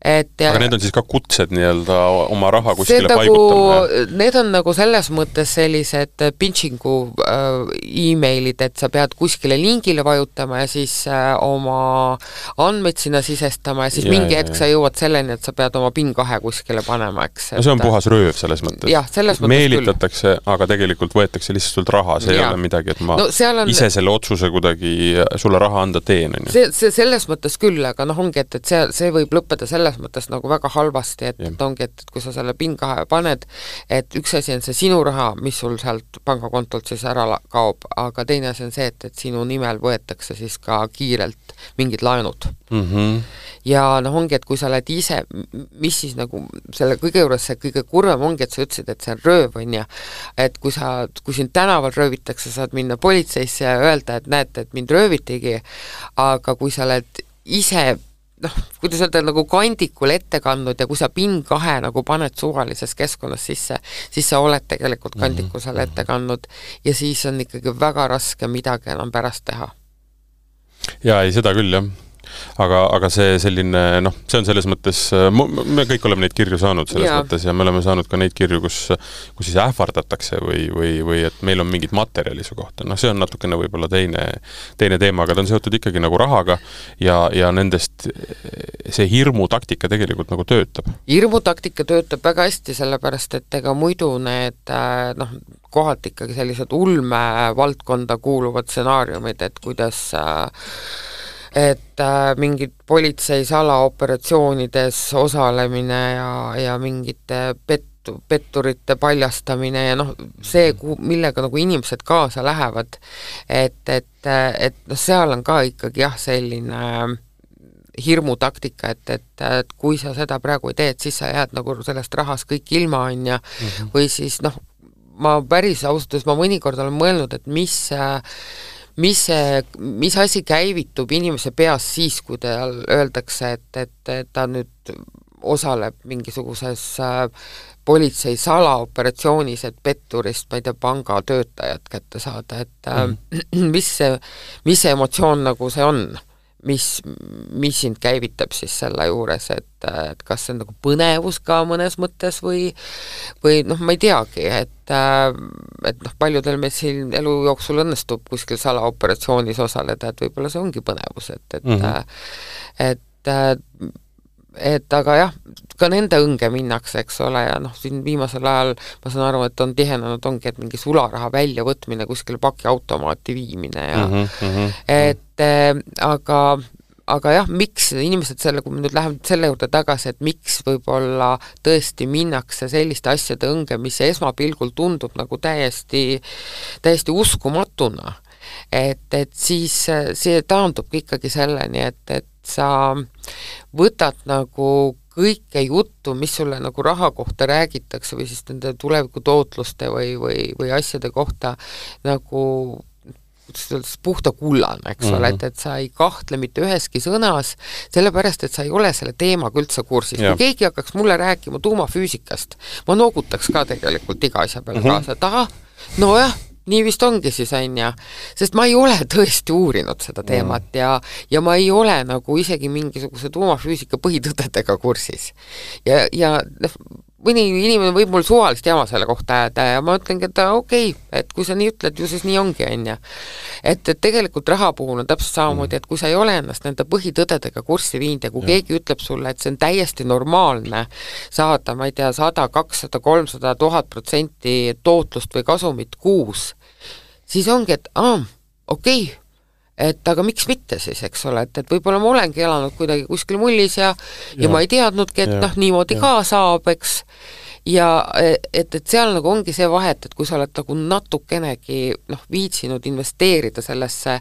Et, aga need on siis ka kutsed nii-öelda oma raha kuskile paigutamine? Need on nagu selles mõttes sellised pinching'u äh, e-mailid, et sa pead kuskile lingile vajutama ja siis äh, oma andmeid sinna sisestama ja siis ja, mingi hetk sa jõuad selleni, et sa pead oma PIN kahe kuskile panema, eks. No see on puhas rööv selles mõttes. Jah, selles mõttes meelitatakse, küll. Aga tegelikult võetakse lihtsalt sult raha, see ja. Ei ole midagi, et ma no, on... ise selle otsuse kuidagi sulle raha anda teen. See, see selles mõttes küll, aga noh, ongi, et, et see, see võib lõppeda selles mõttes nagu väga halvasti, et, et ongi, et, et kui sa selle PIN kahe paned, et üks asi on see sinu raha, mis sul sealt pangakontolt siis ära kaob, aga teine asi on see, et, et sinu nimel võetakse siis ka kiirelt mingid laenud. Mm-hmm. Ja noh, ongi, et kui sa oled ise, mis siis nagu selle kõige juures see kõige kurvem ongi, et sa ütlesid, et see on rööv, on ja et kui sa, kui sind tänaval röövitakse, saad minna politseisse ja öelda, et näete, et mind röövitigi, aga kui sa oled ise noh, kuidas öelda nagu kandikul ette kandnud ja kui sa PIN kahe nagu paned suvalises keskkonnas sisse, siis sa oled tegelikult kandiku seal ette kandnud ja siis on ikkagi väga raske midagi enam pärast teha. Jaa, ei seda küll, jah. Aga, aga see selline, noh, see on selles mõttes, me kõik oleme neid kirju saanud selles ja. Mõttes ja me oleme saanud ka neid kirju, kus, kus siis ähvardatakse või, või, või et meil on mingid materjali su kohta. Noh, see on natukene võib-olla teine, teine teema, aga ta on seotud ikkagi nagu rahaga ja, ja nendest see hirmutaktika tegelikult nagu töötab. Hirmutaktika töötab väga hästi, sellepärast, et ega muidu need, noh, kohalt ikkagi sellised ulme valdkonda kuuluvad stsenaariumid, et kuidas et äh, mingid politsei salaoperatsioonides osalemine ja, ja mingite pet, petturite paljastamine ja noh, see, millega nagu inimesed kaasa lähevad, et, et, et noh, seal on ka ikkagi jah, selline hirmutaktika, et, et, et kui sa seda praegu ei teed, siis sa jääd nagu sellest rahast kõik ilma on ja mm-hmm. või siis noh, ma päris ausalt, ma mõnikord olen mõelnud, et mis mis, mis asi käivitub inimese peas siis, kui tal öeldakse, et, et, et ta nüüd osaleb mingisuguses politsei salaoperatsioonis, et petturist, ma ei tea, pangatöötajat kätte saada, et mm. mis see, mis see emotsioon nagu see on? mis, mis sind käivitab siis selle juures, et, et kas see on nagu põnevus ka mõnes mõttes või, või noh, ma ei teagi, et, et noh, paljudel meil siin elu jooksul õnnestub kuskil salaoperatsioonis osaleda, et võib-olla see ongi põnevus, et, et mm-hmm. et et aga jah, ka nende õnge minnakse, eks ole, ja noh, siin viimasel ajal ma saan aru, et on tihenenud ongi, et mingi sularaha väljavõtmine kuskil pakiautomaati viimine ja mm -hmm. et äh, aga aga jah, miks inimesed selle, kui me nüüd läheme selle juurde tagasi, et miks võib-olla tõesti minnakse selliste asjade õnge, mis esmapilgul tundub nagu täiesti, täiesti uskumatuna, et, et siis see taandubki ikkagi selleni, et, et sa võtad nagu kõike juttu, mis sulle nagu raha kohta räägitakse või siis nende tulevikutootluste või, või, või asjade kohta nagu puhta kullane, eks ole, et, et sa ei kahtle mitte üheski sõnas, sellepärast, et sa ei ole selle teemaga üldse kursis. Kui keegi hakkaks mulle rääkima tuumafüüsikast, ma noogutaks ka tegelikult iga asja peale mm-hmm. kaasa, et aha, nojah, nii vist ongi siis, on ja, sest ma ei ole tõesti uurinud seda teemat mm. ja, ja ma ei ole nagu isegi mingisuguse tuumafüüsika põhitõdedega kursis. Ja, ja mõni inimene võib mul suvalist jama selle kohta jääda ja ma ütlengi, et okei, okay, et kui sa nii ütled, ju siis nii ongi, on ja. Et, et tegelikult raha puhul on täpselt samamoodi, et kui sa ei ole ennast nende põhitõdedega kurssi viinud ja kui ja. keegi ütleb sulle, et see on täiesti normaalne saada, ma ei tea, sada, kakssada, kolmsada, tuhat protsenti tootlust või kasumit kuus, siis ongi, et aa, okei, okay, et aga miks mitte siis, eks ole, et, et võib-olla ma olengi elanud kuidagi kuskil mullis ja, ja, ja ma ei teadnudki, et ja, noh, niimoodi ja. ka saab, eks, ja et, et seal nagu ongi see vahet, et kui sa oled nagu natukenegi noh, viitsinud investeerida sellesse,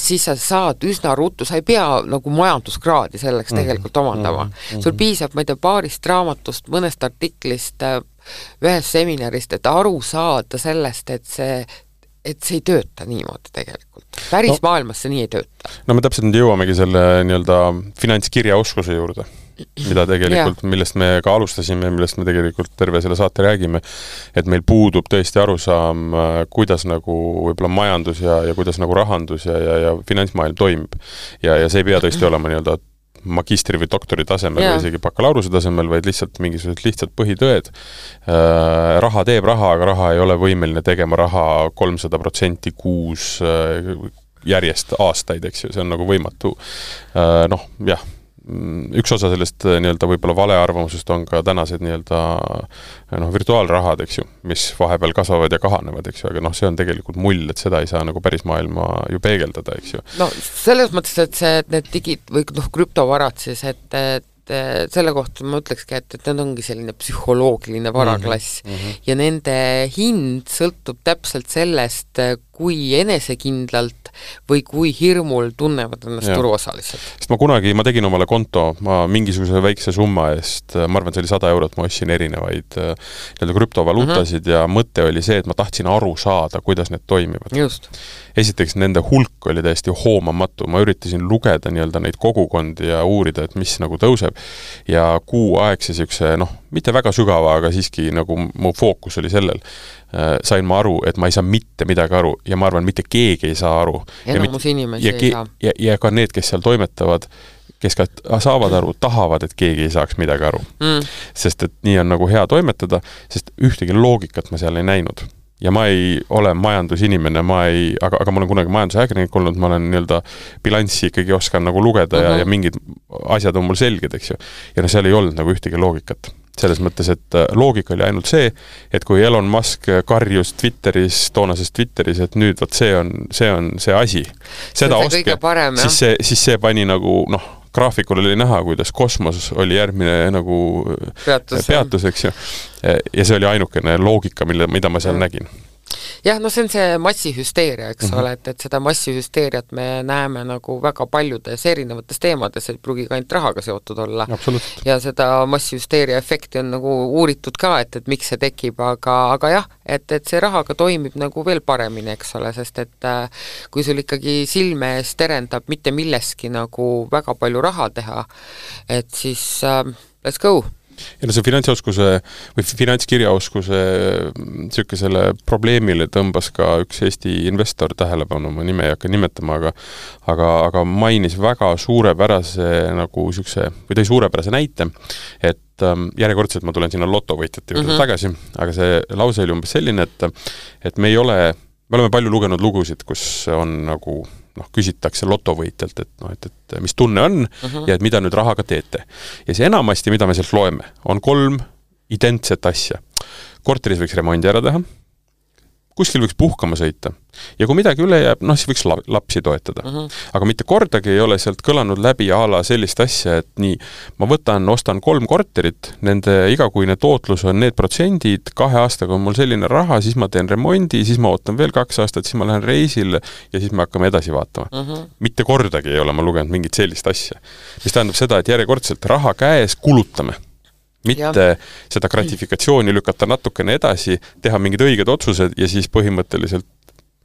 siis sa saad üsna ruttu, sa ei pea nagu majanduskraadi selleks mm-hmm. tegelikult omandama. Mm-hmm. Sul piisab, ma ei tea, paarist raamatust, mõnest artiklist, ühest seminarist, et aru saada sellest, et see et see ei tööta niimoodi tegelikult. Päris no, maailmas see nii ei tööta. No me täpselt nüüd jõuamegi selle nii-öelda finantskirjaoskuse juurde, mida tegelikult, millest me ka alustasime, millest me tegelikult terve selle saate räägime, et meil puudub tõesti arusaam, kuidas nagu võib-olla majandus ja, ja kuidas nagu rahandus ja, ja, ja finantsmaailm toimib. Ja, ja see ei pea tõesti olema nii-öelda magistri või doktori tasemel yeah. või isegi bakalaureuse tasemel, vaid lihtsalt mingisugused lihtsalt põhitõed. Äh, raha teeb raha, aga raha ei ole võimeline tegema raha kolmsada protsenti kuus äh, järjest aastaid, eks ju, see on nagu võimatu. Äh, noh, jah, üks osa sellest nii-öelda võib-olla valearvamusest on ka tänased nii-öelda noh, virtuaalrahad, eks ju, mis vahepeal kasvavad ja kahanevad, eks ju, aga noh, see on tegelikult mull, et seda ei saa nagu päris maailma ju peegeldada, eks ju. No selles mõttes, et see, et need digid või noh, krüptovarad siis, et, et selle kohta ma ütlekski, et, et need ongi selline psühholoogiline varaklass mm -hmm. ja nende hind sõltub täpselt sellest, kui enesekindlalt või kui hirmul tunnevad ennast ja. turuosalised. Sest ma kunagi, ma tegin omale konto, ma mingisuguse väikse summa eest, ma arvan, see oli sada eurot, ma ostsin erinevaid nii-öelda krüptovaluutasid mm -hmm. ja mõte oli see, et ma tahtsin aru saada, kuidas need toimivad. Just. Esiteks, nende hulk oli täiesti hoomamatu, ma üritasin lugeda nii-öelda neid kogukondi ja uurida, et mis nagu tõuseb ja kuu aegse siukse, noh, mitte väga sügava, aga siiski nagu mu fookus oli sellel. Sain ma aru, et ma ei saa mitte midagi aru ja ma arvan, mitte keegi ei saa aru. Enamus inimesi ei saa. Ja, ja ka need, kes seal toimetavad, kes ka saavad aru, tahavad, et keegi ei saaks midagi aru. Mm. Sest et nii on nagu hea toimetada, sest ühtegi loogikat ma seal ei näinud. Ja ma ei ole majandusinimene, ma ei, aga, aga ma olen kunagi majandusajakirjanik olnud, ma olen nii-öelda bilanssi ikkagi oskan nagu lugeda uh-huh. ja, ja mingid asjad on mul selged, eks ju. Ja no seal ei olnud nagu ühtegi loogikat. selles mõttes, et loogika oli ainult see, et kui Elon Musk karjus Twitteris, toonases Twitteris, et nüüd võt see on see, on see asi, seda see ostke, parem, siis, see, siis see pani nagu, noh, graafikul oli näha, kuidas kosmos oli järgmine nagu peatus, peatus eks ju. Ja see oli ainukene loogika, mille, mida ma seal ja. nägin. Jah, no see on see massihüsteeria, eks mm-hmm. ole, et, et seda massihüsteeriat me näeme nagu väga paljudes erinevates teemades, et pruugi ka ainult rahaga seotud olla. Ja seda massihüsteeria efekti on nagu uuritud ka, et, et miks see tekib, aga, aga jah, et, et see rahaga toimib nagu veel paremini, eks ole, sest et äh, kui sul ikkagi silme ees terendab mitte milleski nagu väga palju raha teha, et siis äh, let's go! Ja no see finantsoskuse või finantskirjaoskuse sükesele probleemile tõmbas ka üks Eesti investor tähelepanu, ma nime ei hakka nimetama, aga, aga, aga mainis väga suurepärase nagu sükse, või tõi suurepärase näite, et ähm, järjekordselt ma tulen sinna lotovõitjate juurde mm-hmm. tagasi, aga see lause oli umbes selline, et, et me ei ole, me oleme palju lugenud lugusid, kus on nagu noh, küsitakse lotovõitjalt, et, noh, et, et mis tunne on uh-huh. ja et mida nüüd rahaga teete. Ja see enamasti, mida me sealt loeme, on kolm identset asja. Korteris võiks remondi ära teha, kuskil võiks puhkama sõita ja kui midagi üle jääb, noh, siis võiks la- lapsi toetada. Uh-huh. Aga mitte kordagi ei ole sealt kõlanud läbi ala sellist asja, et nii, ma võtan, ostan kolm korterit, nende igakuine tootlus on need protsendid, kahe aastaga on mul selline raha, siis ma teen remondi, siis ma ootan veel kaks aastat, siis ma lähen reisile ja siis me hakkame edasi vaatama. Uh-huh. Mitte kordagi ei ole ma lugenud mingit sellist asja. Mis tähendab seda, et järjekordselt raha käes kulutame. Mitte ja. Seda gratifikatsiooni lükata natukene edasi, teha mingid õiged otsused ja siis põhimõtteliselt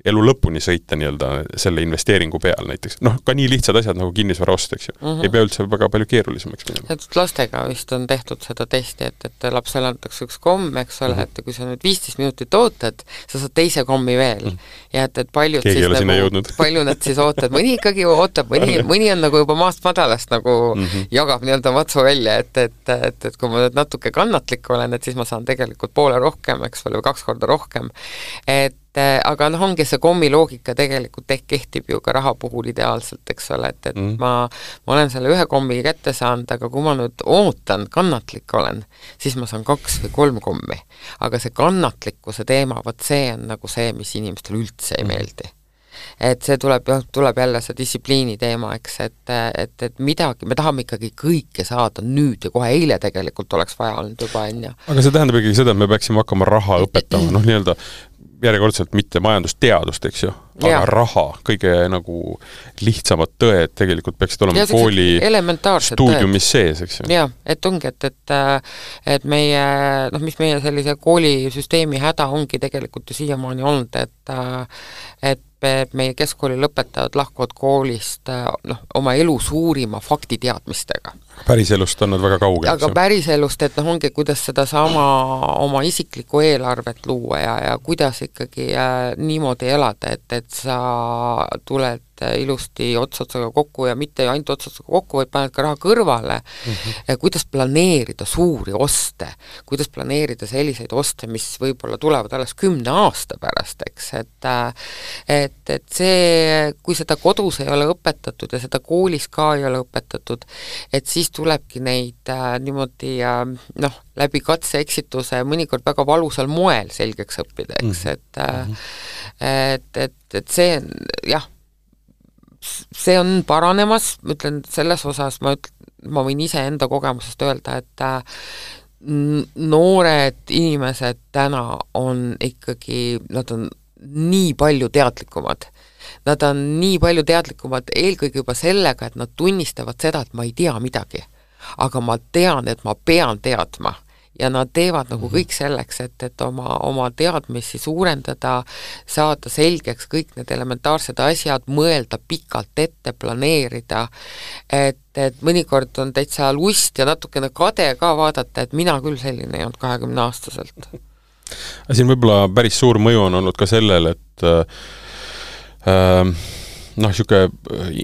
elu lõpuni sõita nii-öelda selle investeeringu peal näiteks. Noh, ka nii lihtsad asjad nagu kinnisvara ost, eks ju. Uh-huh. Ei pea üldse väga palju keerulisemaks minema. Et lastega vist on tehtud seda testi, et, et lapsele antakse üks komm, eks ole, uh-huh. et kui sa nüüd viisteist minutit ootad, sa saad teise kommi veel. Uh-huh. Ja et, et paljud Keegi siis nagu, palju nad siis ootad, mõni ikkagi ootab, mõni, mõni on nagu juba maast madalast nagu uh-huh. jagab nii-öelda matsu välja, et, et, et, et kui ma nüüd natuke kannatlik olen, et siis ma saan tegelikult poole rohkem, eks ole, või kaks korda rohkem. Et aga noh, ongi see kommi loogika tegelikult ehk kehtib ju ka raha puhul ideaalselt, eks ole, et, et mm. ma, ma olen selle ühe kommi kätte saanud, aga kui ma nüüd ootan, kannatlik olen, siis ma saan kaks või kolm kommi. Aga see kannatlikkuse teema, võt see on nagu see, mis inimestel üldse ei meeldi. Et see tuleb, tuleb jälle see distsipliini teema, eks, et, et, et midagi, me tahame ikkagi kõike saada nüüd ja kohe eile tegelikult oleks vaja olnud juba enne. Aga see tähendab ikkagi seda, et me peaksime hakkama raha õpetama, noh nii-öelda järjekordselt mitte majandusteadust, eks ju, aga ja. Raha, kõige nagu lihtsamad tõed tegelikult peaksid olema ja, kooli stuudiumis sees, eks ju. Jaa, et ongi, et, et, et meie, noh, mis meie sellise koolisüsteemi häda ongi tegelikult ju siiamaani olnud, et, et meie keskkooli lõpetajad lahkuvad koolist noh, oma elu suurima faktiteadmistega. Päriselust on nad väga kaugel. Aga päriselust, et noh, ongi, kuidas seda sama oma isiklikku eelarvet luua ja, ja kuidas ikkagi äh, niimoodi elada, et, et sa tuled ilusti otsotsaga kokku ja mitte ainult otsotsaga kokku, vaid paned ka raha kõrvale. Mm-hmm. Kuidas planeerida suuri oste, kuidas planeerida selliseid oste, mis võib-olla tulevad alles kümne aasta pärast, eks, et, et, et see, kui seda kodus ei ole õpetatud ja seda koolis ka ei ole õpetatud, et siis tulebki neid äh, niimoodi äh, noh, läbi katse-eksituse mõnikord väga valusal moel selgeks õppida, eks, et, äh, et, et, et see on, jah, see on paranemas, ma ütlen, selles osas ma, üt, ma võin ise enda kogemusest öelda, et äh, noored inimesed täna on ikkagi, nad on nii palju teadlikumad. Nad on nii palju teadlikumad eelkõige juba sellega, et nad tunnistavad seda, et ma ei tea midagi. Aga ma tean, et ma pean teadma. Ja nad teevad nagu kõik selleks, et, et oma, oma teadmisi suurendada, saada selgeks kõik need elementaarsed asjad, mõelda pikalt ette, planeerida, et, et mõnikord on täitsa lust ja natukene kade ka vaadata, et mina küll selline ei olnud kahekümne aastaselt. Siin võib-olla päris suur mõju on olnud ka sellel, et äh, noh, siuke,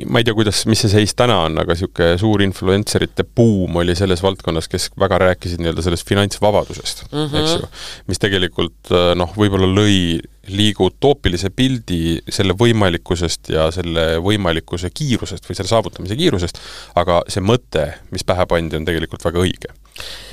ma ei tea, kuidas, mis see seis täna on, aga siuke suur influencerite buum oli selles valdkonnas, kes väga rääkisid nii-öelda sellest finantsvabadusest, mm-hmm. eks ju, mis tegelikult noh, võib-olla lõi liigu utoopilise pildi selle võimalikkusest ja selle võimalikkuse kiirusest või selle saavutamise kiirusest, aga see mõte, mis pähe pandi, on tegelikult väga õige.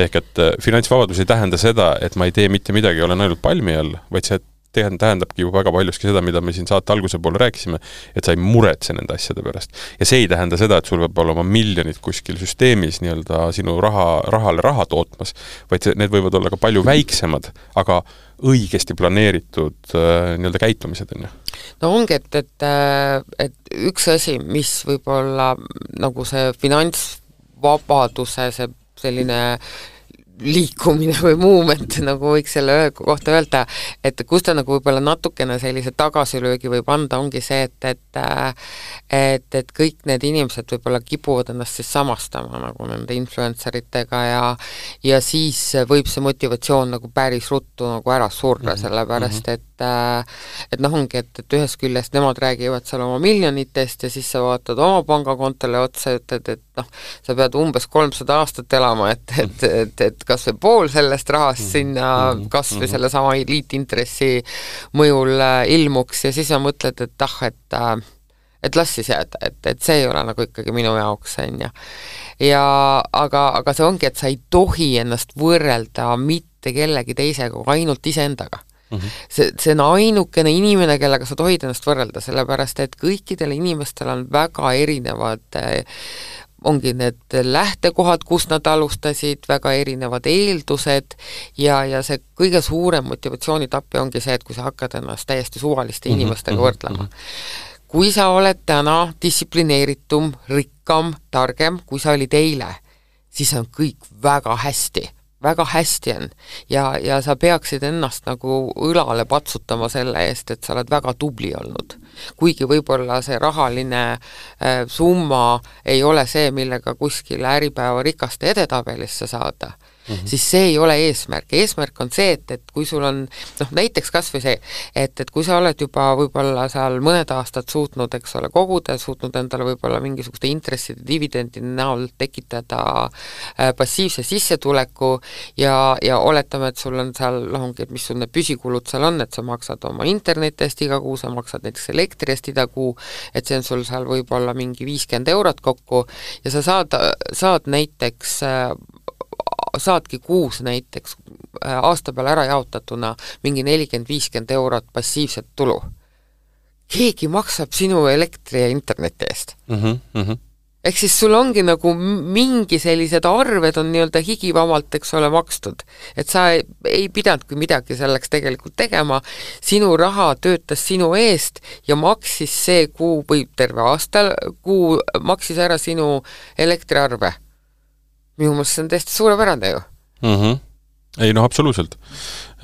Ehk et finantsvabadus ei tähenda seda, et ma ei tee mitte midagi, olen ainult palmi all, vaid see tähendabki ju väga paljuski seda, mida me siin saate alguse poole rääkisime, et sa ei muretse nende asjade pärast. Ja see ei tähenda seda, et sul võib olla oma miljonid kuskil süsteemis nii-öelda sinu raha, rahale raha tootmas, vaid see, need võivad olla ka palju väiksemad, aga õigesti planeeritud äh, nii-öelda käitumised. On ju. No ongi, et, et, et üks asi, mis võib olla nagu see finantsvabaduse, see selline liikumine või movement, nagu võiks selle kohta öelda, et kus ta nagu võib-olla natukene sellise tagasilöögi võib anda, ongi see, et, et, et, et kõik need inimesed võib-olla kipuvad ennast siis samastama nagu nende influenceritega ja, ja siis võib see motivatsioon nagu päris ruttu nagu ära surra, mm-hmm. sellepärast, et et noh ongi, et, et ühest küljest nemad räägivad seal oma miljonitest ja siis sa vaatad oma pangakontole otsa ja ütled, et noh, sa pead umbes kolmsada aastat elama, et, et, et, et kas või pool sellest rahast sinna kas või selle sama liitintressi mõjul ilmuks ja siis sa mõtled, et ah, et, et las siis jääda, et, et see ei ole nagu ikkagi minu jaoks, on ju. Ja aga, aga see ongi, et sa ei tohi ennast võrrelda mitte kellegi teisega, ainult iseendaga. See, see on ainukene inimene, kellega sa tohid ennast võrrelda, sellepärast et kõikidel inimestel on väga erinevad ongi need lähtekohad, kus nad alustasid, väga erinevad eeldused ja, ja see kõige suurem motivatsioonitappi ongi see, et kui sa hakkad ennast täiesti suvaliste inimestega võrdlema. Kui sa oled täna distsiplineeritum, rikkam, targem, kui sa olid eile, siis on kõik väga hästi. väga hästi on ja, ja sa peaksid ennast nagu õlale patsutama selle eest, et sa oled väga tubli olnud. Kuigi võib-olla see rahaline äh, summa ei ole see, millega kuskil Äripäeva rikaste edetabelisse saada, mm-hmm. siis see ei ole eesmärk. Eesmärk on see, et, et kui sul on, noh näiteks kas või see, et, et kui sa oled juba võib-olla seal mõned aastad suutnud, eks ole, koguda, suutnud endale võib-olla mingisuguste intresside dividendide näol tekitada äh, passiivse sissetuleku ja, ja oletame, et sul on seal, lahungi, et mis sul need püsikulud seal on, et sa maksad oma internetist iga kuu, sa maksad näiteks elektrist iga kuu, et see on sul seal võib-olla mingi viiskümmend eurot kokku ja sa saad, saad näiteks äh, saadki kuus näiteks aasta peale ära jaotatuna mingi nelikümmend viiskümmend eurot passiivset tulu. Keegi maksab sinu elektri ja interneti eest. Mm-hmm, mm-hmm. Ehk siis sul ongi nagu mingi sellised arved on nii-öelda higivamalt, eks ole, makstud. Et sa ei, ei pidanudki midagi selleks tegelikult tegema, sinu raha töötas sinu eest ja maksis see kuu või terve aastal kuu maksis ära sinu elektriarve. Minu mõttes see on täiesti suurepärane ju. Mm-hmm. Ei, noh, absoluutselt.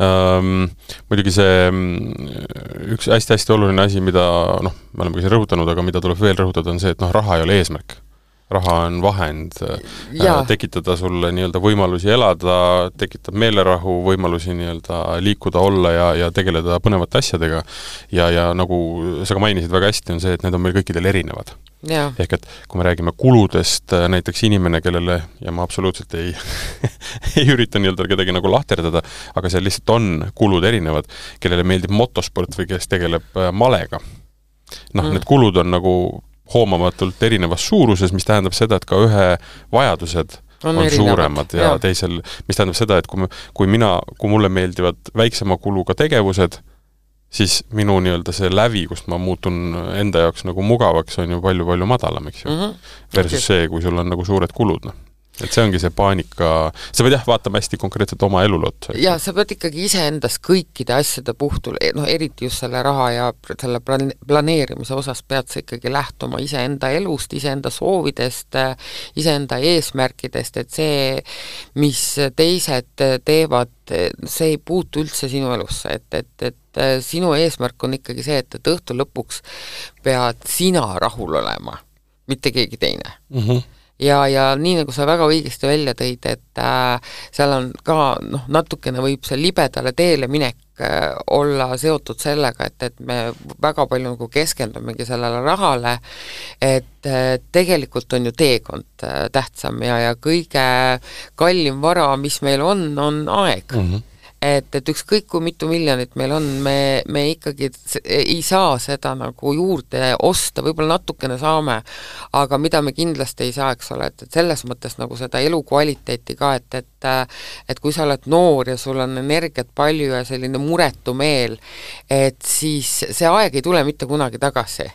Ähm, muidugi see üks hästi-hästi oluline asi, mida noh, me oleme ka rõhutanud, aga mida tuleb veel rõhutada, on see, et noh, raha ei ole eesmärk. Raha on vahend ja. tekitada sulle nii-öelda võimalusi elada, tekitab meelerahu, võimalusi nii-öelda liikuda, olla ja, ja tegeleda põnevate asjadega. Ja, ja nagu sa ka mainisid väga hästi, on see, et need on meil kõikidel erinevad. Ja. Ehk et kui me räägime kuludest, näiteks inimene, kellele, ja ma absoluutselt ei, ei ürita nii-öelda kedagi nagu lahterdada, aga seal lihtsalt on kulud erinevad, kellele meeldib motosport või kes tegeleb malega. Noh, mm. need kulud on nagu hoomamatult erinevas suuruses, mis tähendab seda, et ka ühe vajadused on, on suuremad ja, ja teisel, mis tähendab seda, et kui, me, kui mina, kui mulle meeldivad väiksema kuluga tegevused, siis minu nii-öelda see lävi, kust ma muutun enda jaoks nagu mugavaks, on ju palju-palju madalam, eks ju. Mm-hmm. Versus okay. see, kui sul on nagu suured kulud, noh. Et see ongi see paanika, sa pead jah vaatama hästi konkreetselt oma elulot. Ja sa pead ikkagi ise endas kõikide asjade puhtul, no eriti just selle raha ja selle planeerimise osas pead sa ikkagi lähtuma ise enda elust, ise enda soovidest, ise enda eesmärkidest, et see, mis teised teevad, see ei puutu üldse sinu elusse, et, et, et sinu eesmärk on ikkagi see, et, et õhtu lõpuks pead sina rahul olema, mitte keegi teine. Mhm. Ja, ja nii nagu sa väga õigesti välja tõid, et äh, seal on ka noh, natukene võib see libedale teele minek äh, olla seotud sellega, et, et me väga palju nagu keskendumegi sellele rahale, et äh, tegelikult on ju teekond äh, tähtsam ja, ja kõige kallim vara, mis meil on, on aeg. Mm-hmm. et, et ükskõik kui mitu miljonit meil on, me, me ikkagi ei saa seda nagu juurde osta, võib-olla natukene saame, aga mida me kindlasti ei saa, eks ole, et, et selles mõttes nagu seda elukvaliteeti ka, et, et et kui sa oled noor ja sul on energiat palju ja selline muretu meel, et siis see aeg ei tule mitte kunagi tagasi.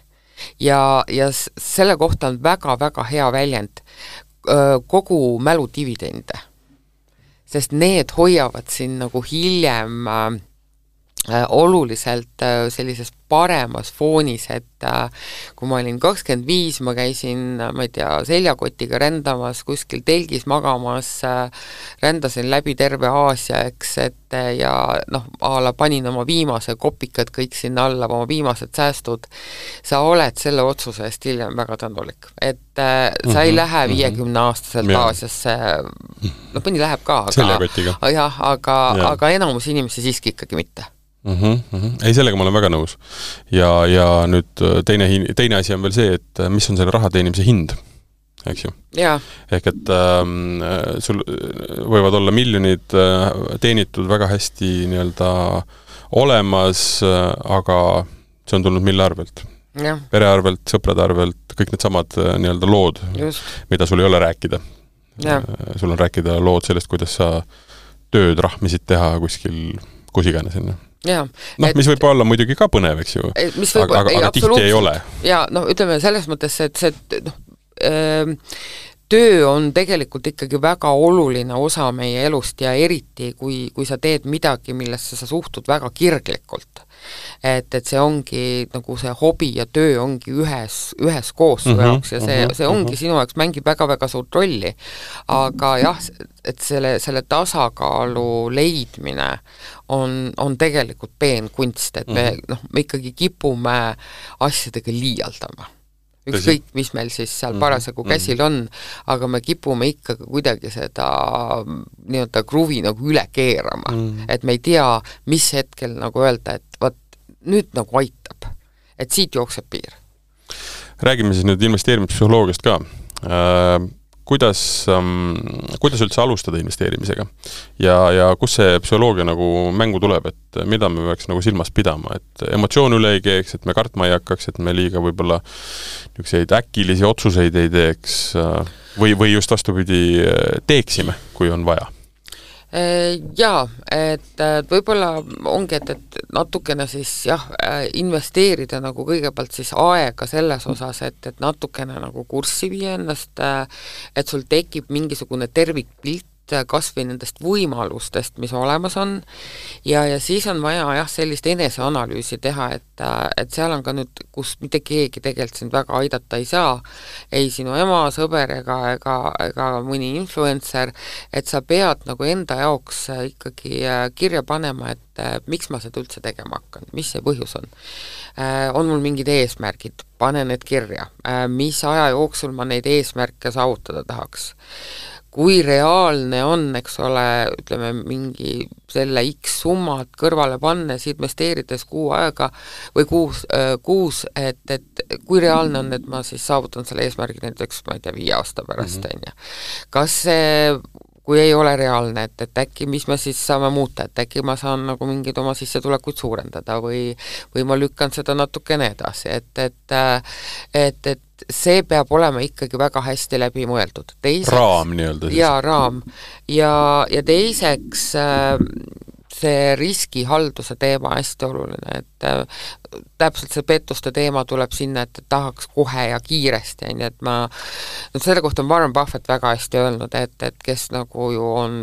Ja, ja selle kohta on väga-väga hea väljend kogu mälu dividende, sest need hoiavad siin nagu hiljem äh, oluliselt äh, sellises paremas foonis, et äh, kui ma olin kakskümmend viis, ma käisin, ma ei tea, seljakotiga rändamas, kuskil telgis magamas, äh, rändasin läbi terve Aasia, eks, et äh, ja noh, ala panin oma viimase kopikad kõik sinna alla, oma viimased säästud, sa oled selle otsuse eest hiljem väga tänulik. Et äh, sa mm-hmm, ei lähe viiekümne aastaselt mm-hmm. Aasiasse, noh, mõni läheb ka, aga, seljakotiga. Jah, aga, ja. aga enamus inimesi siiski ikkagi mitte. Mm-hmm, mm-hmm. Ei, sellega ma olen väga nõus. Ja, ja nüüd teine, teine asi on veel see, et mis on selle raha teenimise hind, eks ju? Ja. Ehk et ähm, sul võivad olla miljonid äh, teenitud väga hästi nii-öelda olemas, äh, aga see on tulnud mille arvelt? Ja. Pere arvelt, sõprade arvelt, kõik need samad äh, nii-öelda lood, Just. mida sul ei ole rääkida. Ja. Äh, sul on rääkida lood sellest, kuidas sa tööd rahmisid teha kuskil kusiganes enne. Ja, noh, et, mis võib olla muidugi ka põnev, eks ju, mis võib, aga, aga, aga tihti ei ole. Ja, noh, ütleme selles mõttes, et see, noh, öö, töö on tegelikult ikkagi väga oluline osa meie elust ja eriti, kui, kui sa teed midagi, millesse sa suhtud väga kirglikult. Et, et see ongi nagu see hobi ja töö ongi ühes, ühes koos su jaoks ja see, see ongi sinu jaoks mängib väga-väga suurt rolli. Aga jah, et selle, selle tasakaalu leidmine on, on tegelikult peen kunst, et me, noh, me ikkagi kipume asjadega liialdama. Ükskõik, mis meil siis seal parasjagu käsil on, aga me kipume ikkagi kuidagi seda nii-öelda kruvi nagu üle keerama. Mm. Et me ei tea, mis hetkel nagu öelda, et vaat, nüüd nagu aitab. Et siit jookseb piir. Räägime siis nüüd investeerimispsühholoogiast ka. Äh, kuidas, ähm, kuidas üldse alustada investeerimisega? Ja, ja kus see psühholoogia nagu mängu tuleb, et mida me peaks nagu silmas pidama, et emotsioon üle ei keeks, et me kartma ei hakkaks, et me liiga võib-olla niisuguseid äkilisi otsuseid ei teeks või, või just vastupidi teeksime, kui on vaja? Jaa, et võib-olla ongi, et, et natukene siis jah, investeerida nagu kõigepealt siis aega selles osas, et, et natukene nagu kurssi viia ennast, et sul tekib mingisugune tervikpilt kas või nendest võimalustest, mis olemas on ja, ja siis on vaja jah, sellist eneseanalüüsi teha, et, et seal on ka nüüd, kus mitte keegi tegelikult sind väga aidata ei saa, ei sinu ema, sõber ega, ega, ega mõni influencer, et sa pead nagu enda jaoks ikkagi kirja panema, et miks ma seda üldse tegema hakkan, mis see põhjus on. On mul mingid eesmärgid, pane need kirja, mis aja jooksul ma neid eesmärke saavutada tahaks. Kui reaalne on, eks ole, ütleme mingi selle X summad kõrvale pannes, investeerides kuu aega või kuus, kuus et, et kui reaalne on, et ma siis saavutan selle eesmärgi näiteks, ma ei tea, viie aasta pärast mm-hmm. on. Kas see, kui ei ole reaalne, et, et äkki mis me siis saame muuta, et äkki ma saan nagu mingid oma sissetulekuid suurendada või, või ma lükkan seda natukene edasi, et, et, et, et see peab olema ikkagi väga hästi läbi mõeldud. Teiseks, raam nii-öelda siis. Jaa, raam. Ja, ja teiseks see riskihalduse teema hästi oluline, et täpselt see pettuste teema tuleb sinna, et tahaks kohe ja kiiresti, nii et ma, no selle kohta on Warren Buffett väga hästi öelnud, et, et kes nagu ju on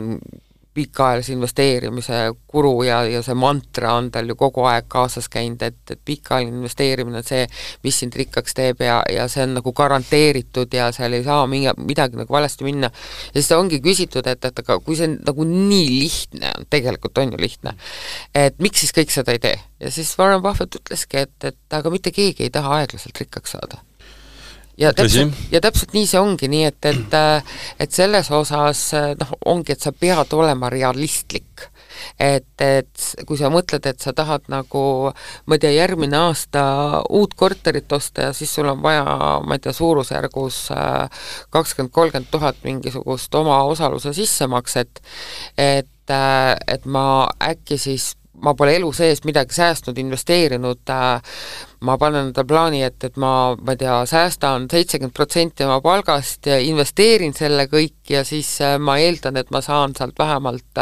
pikaajalise investeerimise kuru ja, ja see mantra on tal ju kogu aeg kaasas käinud, et, et pikaajaline investeerimine on see, mis sind rikkaks teeb ja, ja see on nagu garanteeritud ja seal ei saa mingi, midagi nagu valesti minna. Ja siis ongi küsitud, et, et aga kui see nagu nii lihtne on, tegelikult on ju lihtne, et miks siis kõik seda ei tee? Ja siis Warren Buffett ütleski, et, et aga mitte keegi ei taha aeglaselt rikkaks saada. Ja täpselt, ja täpselt nii see ongi, nii et, et, et selles osas noh, ongi, et sa pead olema realistlik. Et, et kui sa mõtled, et sa tahad nagu, ma ei tea, järgmine aasta uut korterit osta ja siis sul on vaja, ma ei tea, suurusjärgus kakskümmend kolmkümmend tuhat mingisugust oma osaluse sissemakset, et et, et ma äkki siis ma pole elu sees midagi säästnud, investeerinud, ma panen enda plaani, et, et ma, ma ei tea, säästan seitsekümmend protsenti oma palgast ja investeerin selle kõik ja siis ma eeldan, et ma saan sealt vähemalt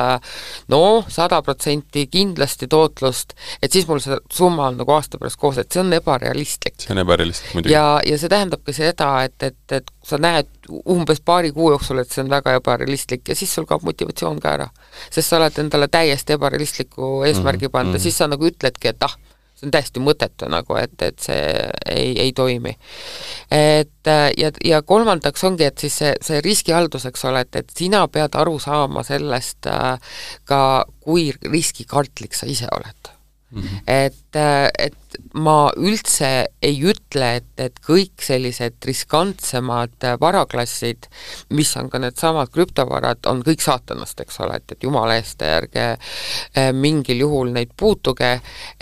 no, sada protsenti kindlasti tootlust, et siis mul see summa on nagu aasta pärast koos, et see on ebarealistlik. See on ebarealistlik muidugi. Ja, ja see tähendabki seda, et, et, et sa näed umbes paari kuu jooksul, et see on väga ebarealistlik ja siis sul kaob motivatsioon ka ära. Sest sa oled endale täiesti ebarealistliku eesmärgi panda, mm-hmm. siis sa nagu ütledki, et ah, see on täiesti mõttetu nagu, et, et see ei, ei toimi. Et, ja, ja kolmandaks ongi, et siis see, see riskihalduseks ole, et, et sina pead aru saama sellest ka, kui riskikartlik sa ise oled. Mm-hmm. Et, et ma üldse ei ütle, et, et kõik sellised riskantsemad varaklassid, mis on ka need samad krüptovarad, on kõik saatanast, eks ole, et, et jumala eest järge mingil juhul neid puutuge,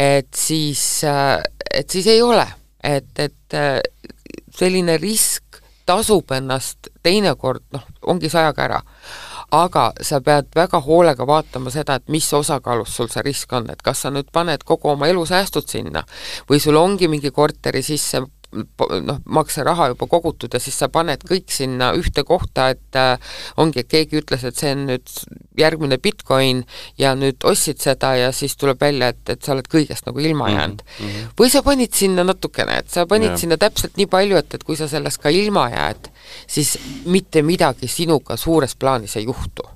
et siis, et siis ei ole. Et, et selline risk tasub ennast teinekord, noh, ongi sajaga ära. Aga sa pead väga hoolega vaatama seda, et mis osakaalus sul see risk on, et kas sa nüüd paned kogu oma elu säästud sinna või sul ongi mingi korteri sisse noh, makseraha juba kogutud ja siis sa paned kõik sinna ühte kohta, et äh, ongi, et keegi ütles, et see on nüüd järgmine Bitcoin ja nüüd ostsid seda ja siis tuleb välja, et, et sa oled kõigest nagu ilma jäänud. Mm-hmm. Või sa panid sinna natukene, et sa panid yeah. sinna täpselt nii palju, et, et kui sa sellest ka ilma jääd, siis mitte midagi sinuga suures plaanis ei juhtu.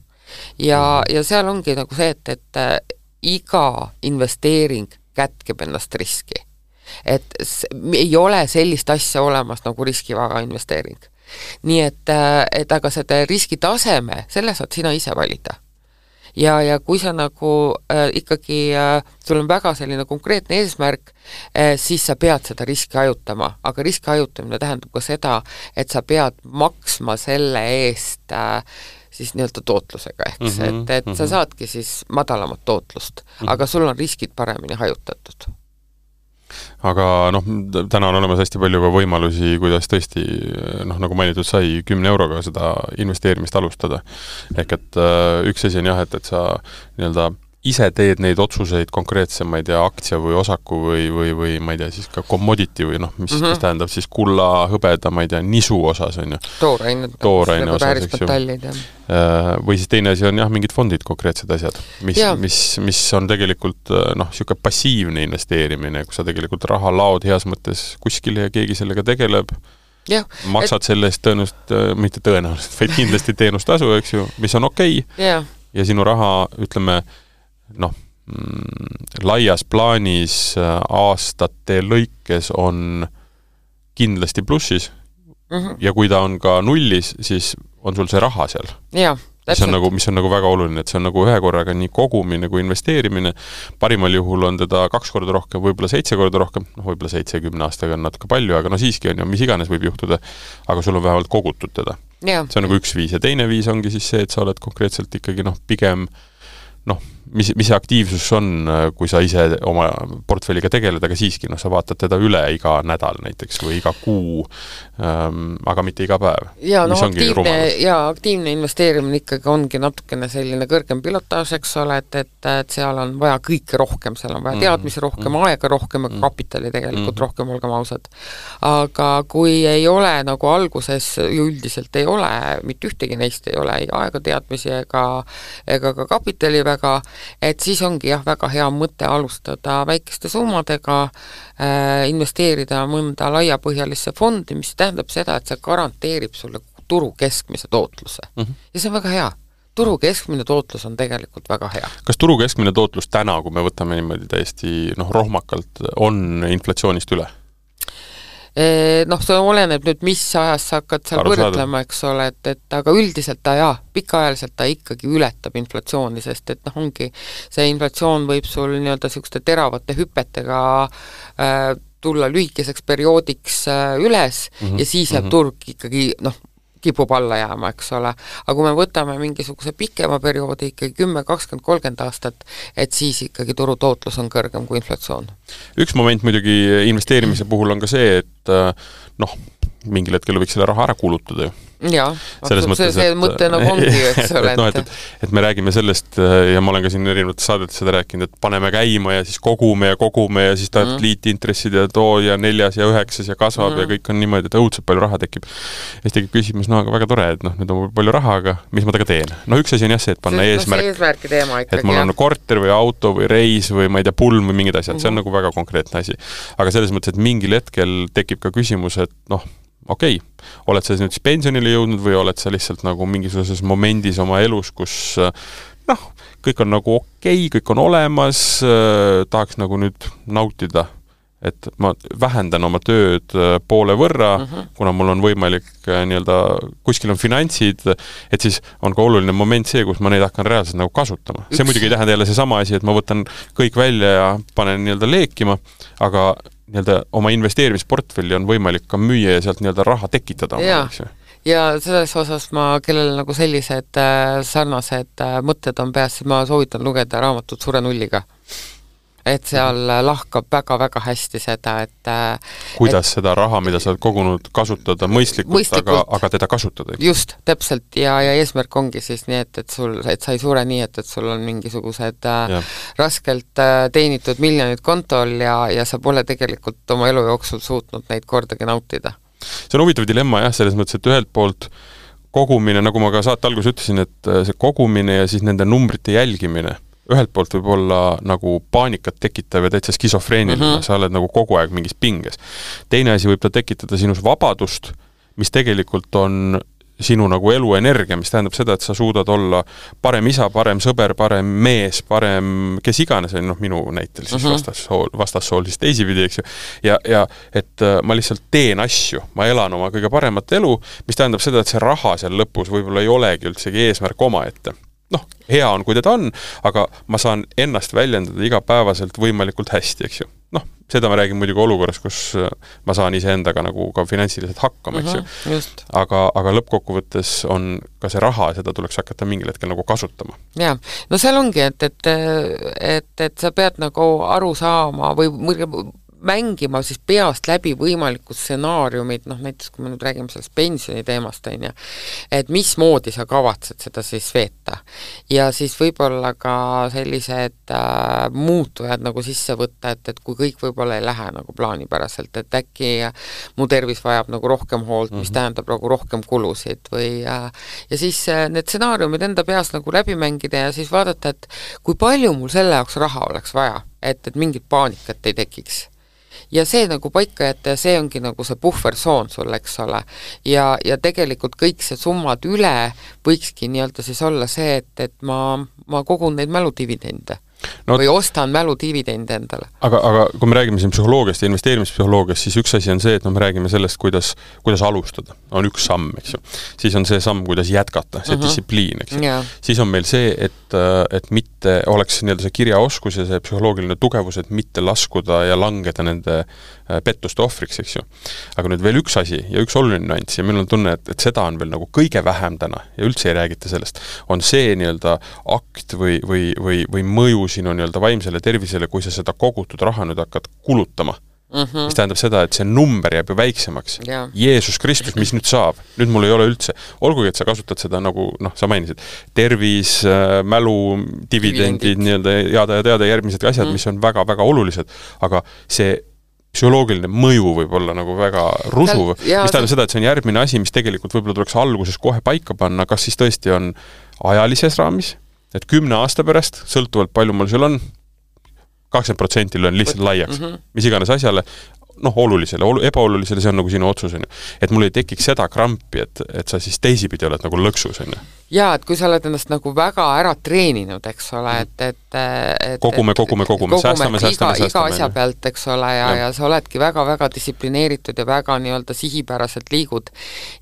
Ja, mm-hmm. ja seal ongi nagu see, et, et äh, iga investeering kätkeb ennast riski. Et ei ole sellist asja olemas nagu riskivaba investeering. Nii et, et aga seda riskitaseme, selle saad sina ise valida. Ja, ja kui sa nagu äh, ikkagi, äh, sul on väga selline konkreetne eesmärk, äh, siis sa pead seda riski ajutama, aga riski ajutamine tähendab ka seda, et sa pead maksma selle eest äh, siis nii-öelda tootlusega, ehk mm-hmm, et, et mm-hmm. sa saadki siis madalamat tootlust, mm-hmm. aga sul on riskid paremini hajutatud. Aga noh, täna on olemas hästi palju ka võimalusi, kuidas tõesti, noh, nagu mainitud sai, kümne euroga seda investeerimist alustada. Ehk et üks asi on jah, et, et sa nii-öelda ise teed neid otsuseid konkreetse, ma ei tea, aktsia või osaku või, või, või ma ei tea, siis ka commodity või noh, mis, mm-hmm. mis tähendab siis kulla, hõbeda, ma ei tea, nisu osas on ju. Tooraine. Tooraine osas, eks ju. Või siis teine asi on jah, mingid fondid, konkreetsed asjad, mis, mis, mis on tegelikult noh, siuke passiivne investeerimine, kus sa tegelikult raha laod heas mõttes kuskile ja keegi sellega tegeleb. Ja, maksad et... selle eest tõenäoliselt, mitte tõenäoliselt, vaid kindlasti teenustasu, eks ju, mis on okei okay. ja. ja sinu raha, ütleme, noh, mm, laias plaanis aastate lõikes on kindlasti plussis mm-hmm. ja kui ta on ka nullis, siis on sul see raha seal. Ja, mis on, nagu, mis on nagu väga oluline, et see on nagu ühe korraga nii kogumine kui investeerimine. Parimal juhul on teda kaks korda rohkem, võib-olla seitse korda rohkem, noh, võib-olla seitsekümne aastaga on natuke palju, aga no siiski on ju, mis iganes võib juhtuda, aga sul on vähemalt kogutud teda. Ja. See on nagu üks viis ja teine viis ongi siis see, et sa oled konkreetselt ikkagi noh, pigem noh, mis, mis see aktiivsus on, kui sa ise oma portfelliga tegeled, aga siiski, noh, sa vaatad teda üle iga nädal näiteks või iga kuu, ähm, aga mitte iga päev. Ja, no, aktiivne, ja aktiivne investeerimine ikkagi ongi natukene selline kõrgem pilotaaž, eks ole, et, et, et seal on vaja kõike rohkem, seal on vaja teadmisi rohkem, mm. aega rohkem, aga kapitali tegelikult mm. rohkem, olgem ausad. Aga kui ei ole nagu alguses, üldiselt ei ole, mitte ühtegi neist ei ole, ei aega teadmisi ega, ega ka kapitali väga, et siis ongi jah, väga hea mõte alustada väikeste summadega, äh, investeerida mõnda laiapõhjalisse fondi, mis tähendab seda, et see garanteerib sulle turu keskmise tootluse. Mm-hmm. Ja see on väga hea. Turu keskmine tootlus on tegelikult väga hea. Kas turu keskmine tootlus täna, kui me võtame niimoodi täiesti noh, rohmakalt, on inflatsioonist üle? Noh, see oleneb nüüd, mis ajas sa hakkad seal Aru võrdlema, eks ole, et, et aga üldiselt ta jaa, pikaajaliselt ta ikkagi ületab inflatsiooni, sest et noh, ongi see inflatsioon võib sul nii-öelda sihukeste teravate hüpetega äh, tulla lühikeseks perioodiks äh, üles mm-hmm. ja siis jääb mm-hmm. turg ikkagi noh, kipub alla jääma, eks ole. Aga kui me võtame mingisuguse pikema perioodi, ikkagi kümme, kakskümmend, kolmkümmend aastat, et siis ikkagi turu tootlus on kõrgem kui inflatsioon. Üks moment muidugi investeerimise puhul on ka see, et noh, mingil hetkel võiks selle raha ära kulutada ju. Jaa, see, see mõte nagu ongi, eks ole. Et, no, et, et, et me räägime sellest ja ma olen ka siin erinevates saadetes seda rääkinud, et paneme käima ja siis kogume ja kogume ja siis tahad mm. liitintressid ja too ja neljas ja üheksas ja kasvab mm. ja kõik on niimoodi, et õudselt palju raha tekib. Ja siis tekib küsimus, no aga väga tore, et noh, nüüd on palju raha, aga mis ma taga teen? No üks asi on jah see, et panna see, eesmärk, no, teema ikkagi, et mul on korter või auto või reis või ma ei tea, pulm või mingid asjad, see on mm. nagu väga konkreetne asi. Aga selles mõttes, et mingil hetkel tekib ka küsimus, et noh, okei, okay. oled sa nüüd pensionile jõudnud või oled sa lihtsalt nagu mingisuguses momendis oma elus, kus noh, kõik on nagu okei, okay, kõik on olemas, tahaks nagu nüüd nautida, et ma vähendan oma tööd poole võrra, uh-huh. kuna mul on võimalik nii-öelda, kuskil on finantsid, et siis on ka oluline moment see, kus ma neid hakkan reaalselt nagu kasutama. See muidugi ei tähenda jälle see sama asi, et ma võtan kõik välja ja panen nii-öelda leekima, aga nii-öelda oma investeerimisportfelli on võimalik ka müüa ja sealt nii-öelda raha tekitada. Ja, ja selles osas ma, kellel nagu sellised äh, sarnased äh, mõtted on peas, siis ma soovitan lugeda raamatut Sure nulliga. Et seal lahkab väga-väga hästi seda, et kuidas et, seda raha, mida sa oled kogunud, kasutada mõistlikult, mõistlikult. Aga, aga teda kasutada. Just, täpselt, ja, ja eesmärk ongi siis nii, et, et, sul, et sa ei sure nii, et, et sul on mingisugused ja. raskelt teenitud miljonid kontol ja, ja sa pole tegelikult oma elu jooksul suutnud neid kordagi nautida. See on huvitav dilemma jah, selles mõttes, et ühelt poolt kogumine, nagu ma ka saate alguses ütlesin, et see kogumine ja siis nende numbrite jälgimine ühelt poolt võib olla nagu paanikat tekitav ja täitsa skisofreeniline, mm-hmm. sa oled nagu kogu aeg mingis pinges. Teine asi võib ta tekitada sinus vabadust, mis tegelikult on sinu nagu eluenergia, mis tähendab seda, et sa suudad olla parem isa, parem sõber, parem mees, parem kes iganes, noh minu näitel siis mm-hmm. vastassool, vastassool siis teisipidi, eks ju. Ja, ja et ma lihtsalt teen asju, ma elan oma kõige paremat elu, mis tähendab seda, et see raha seal lõpus võib-olla ei olegi üldsegi eesmärk oma ette. Noh, hea on, kui teda on, aga ma saan ennast väljendada igapäevaselt võimalikult hästi, eks ju. Noh, seda ma räägin muidugi olukorras, kus ma saan iseendaga nagu ka finantsiliselt hakkama, eks ju. Just. Aga, aga lõppkokkuvõttes on ka see raha, seda tuleks hakata mingil hetkel nagu kasutama. Jaa, no seal ongi, et, et, et, et sa pead nagu aru saama või mängima siis peast läbi võimalikud stsenaariumid, noh näiteks kui me nüüd räägime sellest pensioni teemast, on ju, et mismoodi sa kavatsed seda siis veeta. Ja siis võib-olla ka sellised äh, muutujad nagu sisse võtta, et, et kui kõik võib-olla ei lähe nagu plaanipäraselt, et äkki mu tervis vajab nagu rohkem hoolt, mis mm-hmm. tähendab nagu rohkem kulusid või äh, ja siis äh, need stsenaariumid enda peas nagu läbi mängida ja siis vaadata, et kui palju mul selle jaoks raha oleks vaja, et, et mingit paanikat ei tekiks. Ja see nagu paika jätta ja see ongi nagu see puhversoon sul, eks ole. Ja, ja tegelikult kõik see summad üle võikski nii-öelda siis olla see, et, et ma, ma kogun neid mäludividende. No, või ostan mäludividende endale. Aga, aga kui me räägime siin psühholoogiast ja investeerimispsühholoogiast, siis üks asi on see, et no me räägime sellest, kuidas, kuidas alustada. On üks samm, eks ju. Siis on see samm, kuidas jätkata, see uh-huh. distsipliin, eks ju. Yeah. Siis on meil see, et, et mitte oleks nii-öelda see kirjaoskus ja see psühholoogiline tugevus, et mitte laskuda ja langeda nende pettuste ohvriks, eks ju. Aga nüüd veel üks asi ja üks oluline nüanss ja meil on tunne, et, et seda on veel nagu kõige vähem täna ja üldse ei räägita sellest, on see nii-öelda akt või, või, või, või mõju sinu nii-öelda vaimsele tervisele, kui sa seda kogutud raha nüüd hakkad kulutama. Mm-hmm. Mis tähendab seda, et see number jääb ju väiksemaks. Yeah. Jeesus Kristus, mis nüüd saab? Nüüd mul ei ole üldse. Olgugi, et sa kasutad seda nagu, noh, sa mainisid, tervis, mälu, dividendid, nii-öelda jada ja teada järgmised asjad, mm. mis on väga-väga olulised. Aga see psühholoogiline mõju võib olla nagu väga rusuv. Ja, mis tähendab seda, et see on järgmine asi, mis tegelikult võib-olla tuleks alguses kohe paika panna, kas siis tõesti on ajalises raamis, et kümne aasta pärast, sõltuvalt palju mul seal on, kakskümmend protsenti löön lihtsalt laiaks, mm-hmm. mis iganes asjale, noh, olulisele, ebaolulisele, see on nagu sinu otsus, on ju. Et mul ei tekiks seda krampi, et, et sa siis teisipidi oled nagu lõksus, on ju. Jaa, et kui sa oled ennast nagu väga ära treeninud, eks ole, et, et, et kogume, kogume, kogume, säästame, säästame, iga, iga asja pealt, eks ole, ja, ja. ja sa oledki väga-väga distsiplineeritud ja väga nii-öelda sihipäraselt liigud.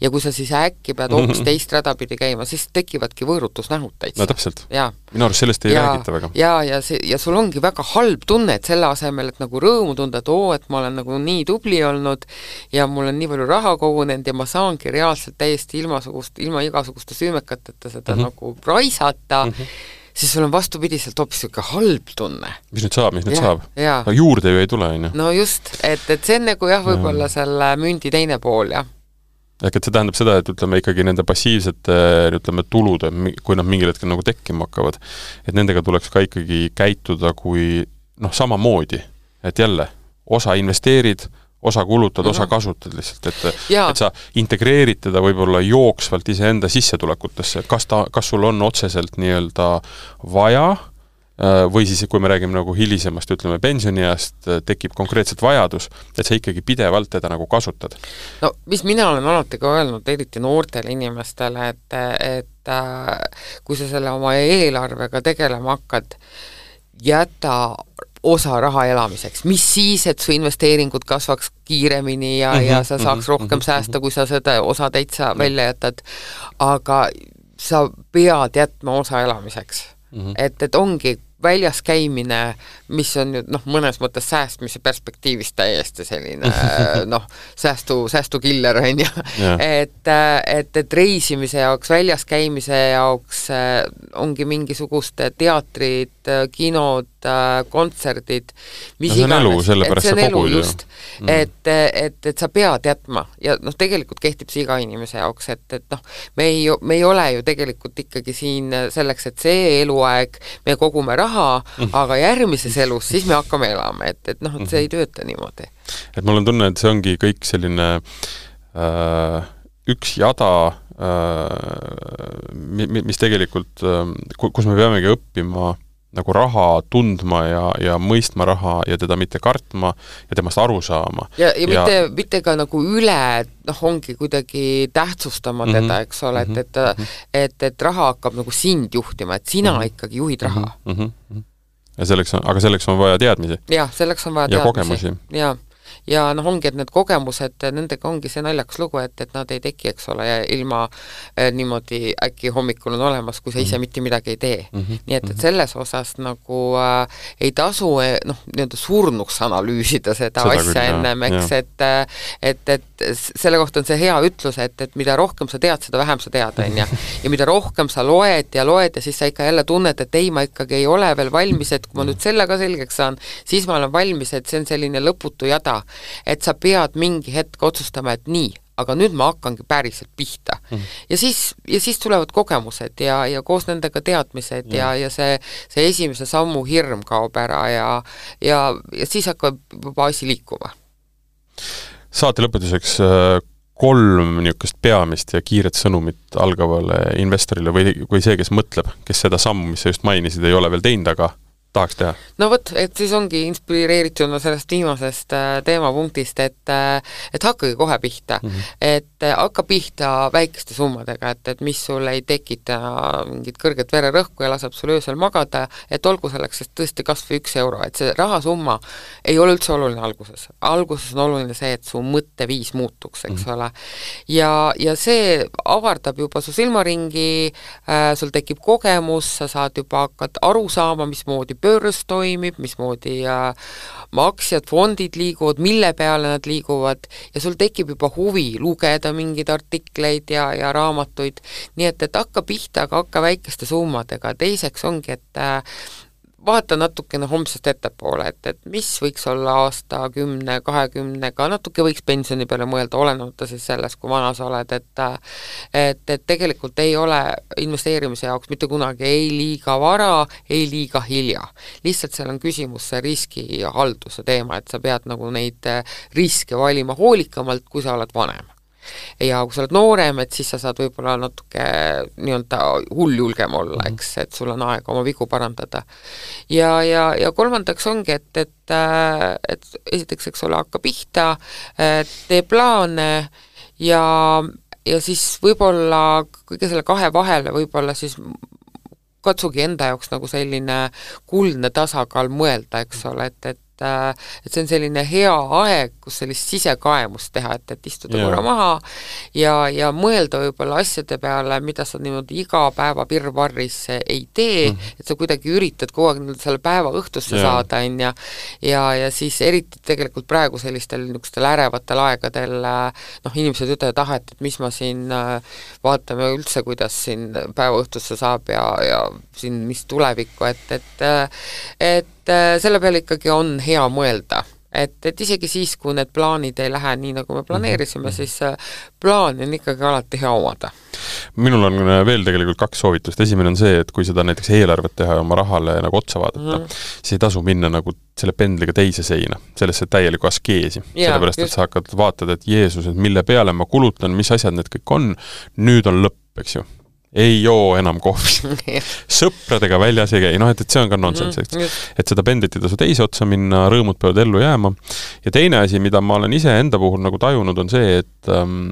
Ja kui sa siis äkki pead hoopis mm-hmm. teist radapidi käima, siis tekivadki võõrutusnähud täitsa. No täpselt. Ja. Minu arust sellest ei ja, räägita väga. Ja, ja, see, ja sul ongi väga halb tunne, et selle asemel, et nagu rõõmu tunda, et oo, et ma olen nagu nii tubli olnud ja mul on nii palju raha kogunenud ja ma saangi reaalselt täiesti ilmasugust, ilma igasuguste süümekateta seda mm-hmm. nagu raisata, mm-hmm. siis sul on vastupidiselt hoopis siuke halb tunne. Mis nüüd saab, mis nüüd ja, saab? Ja. No, juurde ju ei tule, on ju. No just, et, et see on nagu jah, võib-olla selle mündi teine pool, jah. ehk et see tähendab seda, et ütleme ikkagi nende passiivsete ütleme, tulude, kui nad mingil hetkel nagu tekkima hakkavad, et nendega tuleks ka ikkagi käituda kui noh, samamoodi, et jälle, osa investeerid, osa kulutad, mm -hmm. osa kasutad lihtsalt, et, et sa integreerid teda võib-olla jooksvalt iseenda sissetulekutesse, kas ta, kas sul on otseselt nii-öelda vaja või siis, kui me räägime nagu hilisemast, ütleme pensioniajast, tekib konkreetselt vajadus, et sa ikkagi pidevalt teda nagu kasutad. No mis mina olen alati ka öelnud, eriti noortele inimestele, et, et kui sa selle oma eelarvega tegelema hakkad, jäta osa raha elamiseks, mis siis, et su investeeringud kasvaks kiiremini ja, mm -hmm, ja sa saaks mm -hmm, rohkem mm -hmm, säästa, kui sa seda osa täitsa mm -hmm. välja jätad, aga sa pead jätma osa elamiseks. Mm -hmm. et, et ongi väljas käimine, mis on nüüd noh, mõnes mõttes säästmise perspektiivist täiesti selline noh, säästu, säästukiller on ju, et, et, et reisimise jaoks, väljas käimise jaoks ongi mingisugust teatrid, kinod, kontserdid, mis no, iganes, et see on elu just, mm. et, et, et sa pead jätma ja noh, tegelikult kehtib see iga inimese jaoks, et, et noh, me ei, me ei ole ju tegelikult ikkagi siin selleks, et see eluaeg me kogume raha, mm. aga järgmises elus siis me hakkame elama, et, et noh, et see ei tööta niimoodi. Et mul on tunne, et see ongi kõik selline äh, üks jada, äh, mis tegelikult, äh, kus me peamegi õppima nagu raha tundma ja, ja mõistma raha ja teda mitte kartma ja temast aru saama. Ja, ja, ja mitte, mitte ka nagu üle, noh, ongi kuidagi tähtsustama mm -hmm. teda, eks ole, et, et, et, et raha hakkab nagu sind juhtima, et sina mm -hmm. ikkagi juhid raha. Mm -hmm. Ja selleks on, aga selleks on vaja teadmisi. Jah, selleks on vaja ja teadmisi. Kogemusi. Ja ja noh, ongi, et need kogemused, nendega ongi see naljakas lugu, et, et nad ei teki, eks ole, ja ilma eh, niimoodi äkki hommikul on olemas, kui sa ise mitte midagi ei tee. Mm -hmm. Nii et, et selles osas nagu äh, ei tasu eh, noh, nii-öelda surnuks analüüsida seda, seda asja küll, ennem, eks, et, et, et selle kohta on see hea ütlus, et, et mida rohkem sa tead, seda vähem sa tead, on ja. ja mida rohkem sa loed ja loed ja siis sa ikka jälle tunned, et ei, ma ikkagi ei ole veel valmis, et kui ma nüüd selle ka selgeks saan, siis ma olen valmis, et see on selline lõputu jada, et sa pead mingi hetk otsustama, et nii, aga nüüd ma hakkangi päriselt pihta. Mm. Ja siis, ja siis tulevad kogemused ja, ja koos nendega teadmised mm. ja, ja see, see esimese sammu hirm kaob ära ja, ja, ja siis hakkab juba asi liikuma. Saate lõpetuseks kolm niisugust peamist ja kiiret sõnumit algavale investorile või, või see, kes mõtleb, kes seda sammu, mis sa just mainisid, ei ole veel teinud, aga tahaks teha? No vot, et siis ongi inspireerituna sellest viimasest äh, teemapunktist, et, äh, et hakkagi kohe pihta. Mm -hmm. Et äh, hakka pihta väikeste summadega, et, et mis sul ei tekita mingit kõrget vererõhku ja laseb sul öösel magada, et olgu selleks sest tõesti kas või üks euro, et see rahasumma ei ole üldse oluline alguses. Alguses on oluline see, et su mõtteviis muutuks, eks mm -hmm. ole. Ja, ja see avardab juba su silmaringi, äh, sul tekib kogemus, sa saad juba hakkad aru saama, mismoodi börs toimib, mismoodi äh, aktsiad, fondid liiguvad, mille peale nad liiguvad ja sul tekib juba huvi lugeda mingeid artikleid ja, ja raamatuid, nii et, et hakka pihta, aga hakka väikeste summadega. Teiseks ongi, et äh, vaata natukene homsest ettepoole, et, et mis võiks olla aasta kümne, kahekümnega, natuke võiks pensioni peale mõelda, olenemata siis sellest, kui vana sa oled, et et, et tegelikult ei ole investeerimise jaoks mitte kunagi ei liiga vara, ei liiga hilja. Lihtsalt seal on küsimus see riskihalduse teema, et sa pead nagu neid riske valima hoolikamalt, kui sa oled vanem. Ja kui sa oled noorem, et siis sa saad võib-olla natuke nii-öelda hulljulgem olla, eks, et sul on aega oma vigu parandada. Ja, ja, ja kolmandaks ongi, et, et, et esiteks, eks ole, hakka pihta, tee plaane ja, ja siis võib-olla kõige selle kahe vahele võib-olla siis katsugi enda jaoks nagu selline kuldne tasakaal mõelda, eks ole, et, et et see on selline hea aeg, kus sellist sisekaemust teha, et, et istuda korra maha ja, ja mõelda võib-olla asjade peale, mida sa niimoodi iga päeva pirvarris ei tee, mm. et sa kuidagi üritad kogu aeg selle päeva õhtusse yeah. saada, on ja, ja, ja siis eriti tegelikult praegu sellistel niisugustel ärevatel aegadel noh, inimesed ütlevad, ah, et, et mis ma siin vaatame üldse, kuidas siin päeva õhtusse saab ja, ja siin mis tulevikku, et, et, et selle peale ikkagi on hea mõelda, et, et isegi siis, kui need plaanid ei lähe nii, nagu me planeerisime, siis plaani on ikkagi alati hea omada. Minul on veel tegelikult kaks soovitust. Esimene on see, et kui seda näiteks eelarvet teha ja oma rahale nagu otsa vaadata, mm. siis ei tasu minna nagu selle pendliga teise seina, sellesse täieliku askeesi. Ja, sellepärast, just. Et sa hakkad vaatad, et Jeesus, et mille peale ma kulutan, mis asjad need kõik on, nüüd on lõpp, eks ju. Ei joo enam kohvi. Sõpradega väljas ei käi. No, et, et see on ka nonsense. Mm, et seda pendlit ei tasu teise otsa minna, rõõmud peavad ellu jääma. Ja teine asi, mida ma olen ise enda puhul nagu tajunud, on see, et ähm,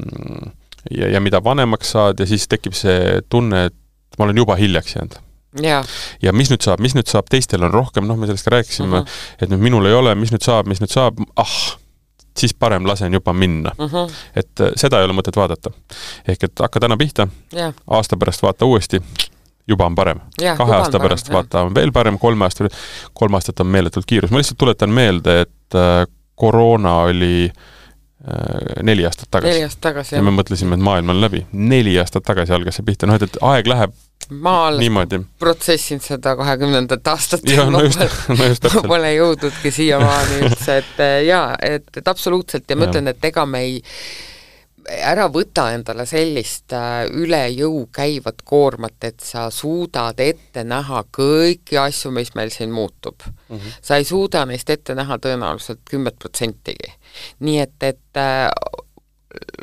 ja, ja mida vanemaks saad ja siis tekib see tunne, et ma olen juba hiljaks jäänud. Ja. ja mis nüüd saab, mis nüüd saab, teistel on rohkem, noh, me sellest ka rääkisime, uh-huh. et nüüd minul ei ole, mis nüüd saab, mis nüüd saab, ah, siis parem lasen juba minna. Uh-huh. Et seda ei ole mõtet vaadata. Ehk et hakka täna pihta, yeah. aasta pärast vaata uuesti, juba on parem. Yeah, Kahe aasta parem, pärast yeah. vaata on veel parem, kolme aasta, kolm aastat on meeletult kiirus. Ma lihtsalt tuletan meelde, et äh, koroona oli äh, neli aastat tagasi. Neli aastat tagasi, ja me mõtlesime, et maailm on läbi. Neli aastat tagasi algas see pihta. No, et, et aeg läheb ma alles protsessin seda kahekümnendat aastat ja, no just, no just ma pole jõudnudki siiamaani üldse, et jaa, et, et absoluutselt ja ma ütlen, et ega me ei ära võta endale sellist üle jõu käivat koormat, et sa suudad ette näha kõiki asju, mis meil siin muutub. Mm-hmm. Sa ei suuda neist ette näha tõenäoliselt kümmet protsentigi. Nii et, et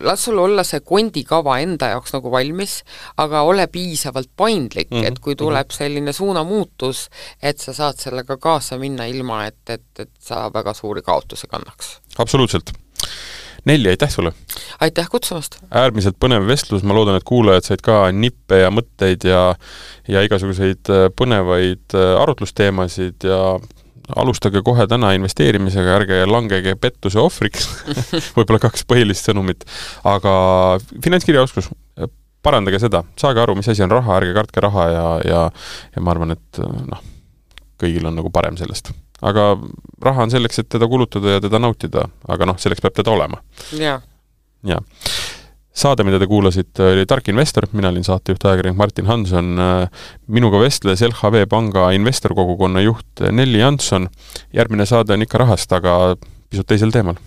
las sul olla see kondikava enda jaoks nagu valmis, aga ole piisavalt paindlik, mm-hmm. et kui tuleb selline suunamuutus, et sa saad sellega kaasa minna ilma, et, et, et sa väga suuri kaotuse kannaks. Absoluutselt. Nelli, aitäh sulle! Aitäh kutsumast! Äärmiselt põnev vestlus, ma loodan, et kuulajad said ka nippe ja mõtteid ja, ja igasuguseid põnevaid arutlusteemasid ja alustage kohe täna investeerimisega, ärge langege pettuse ohvriks, võib-olla kaks põhilist sõnumit, aga finantskirjaoskus, parandage seda, saage aru, mis asi on raha, ärge kartke raha ja, ja, ja ma arvan, et noh, kõigil on nagu parem sellest. Aga raha on selleks, et teda kulutada ja teda nautida, aga noh, selleks peab teda olema. Ja. Ja. Saade, mida te kuulasite, oli Tark Investor, mina olin saatejuht ajakirjanik Martin Hanson, minuga vestles L H V Panga investorkogukonna juht Nelli Jansson. Järgmine saade on ikka rahast, aga pisut teisel teemal.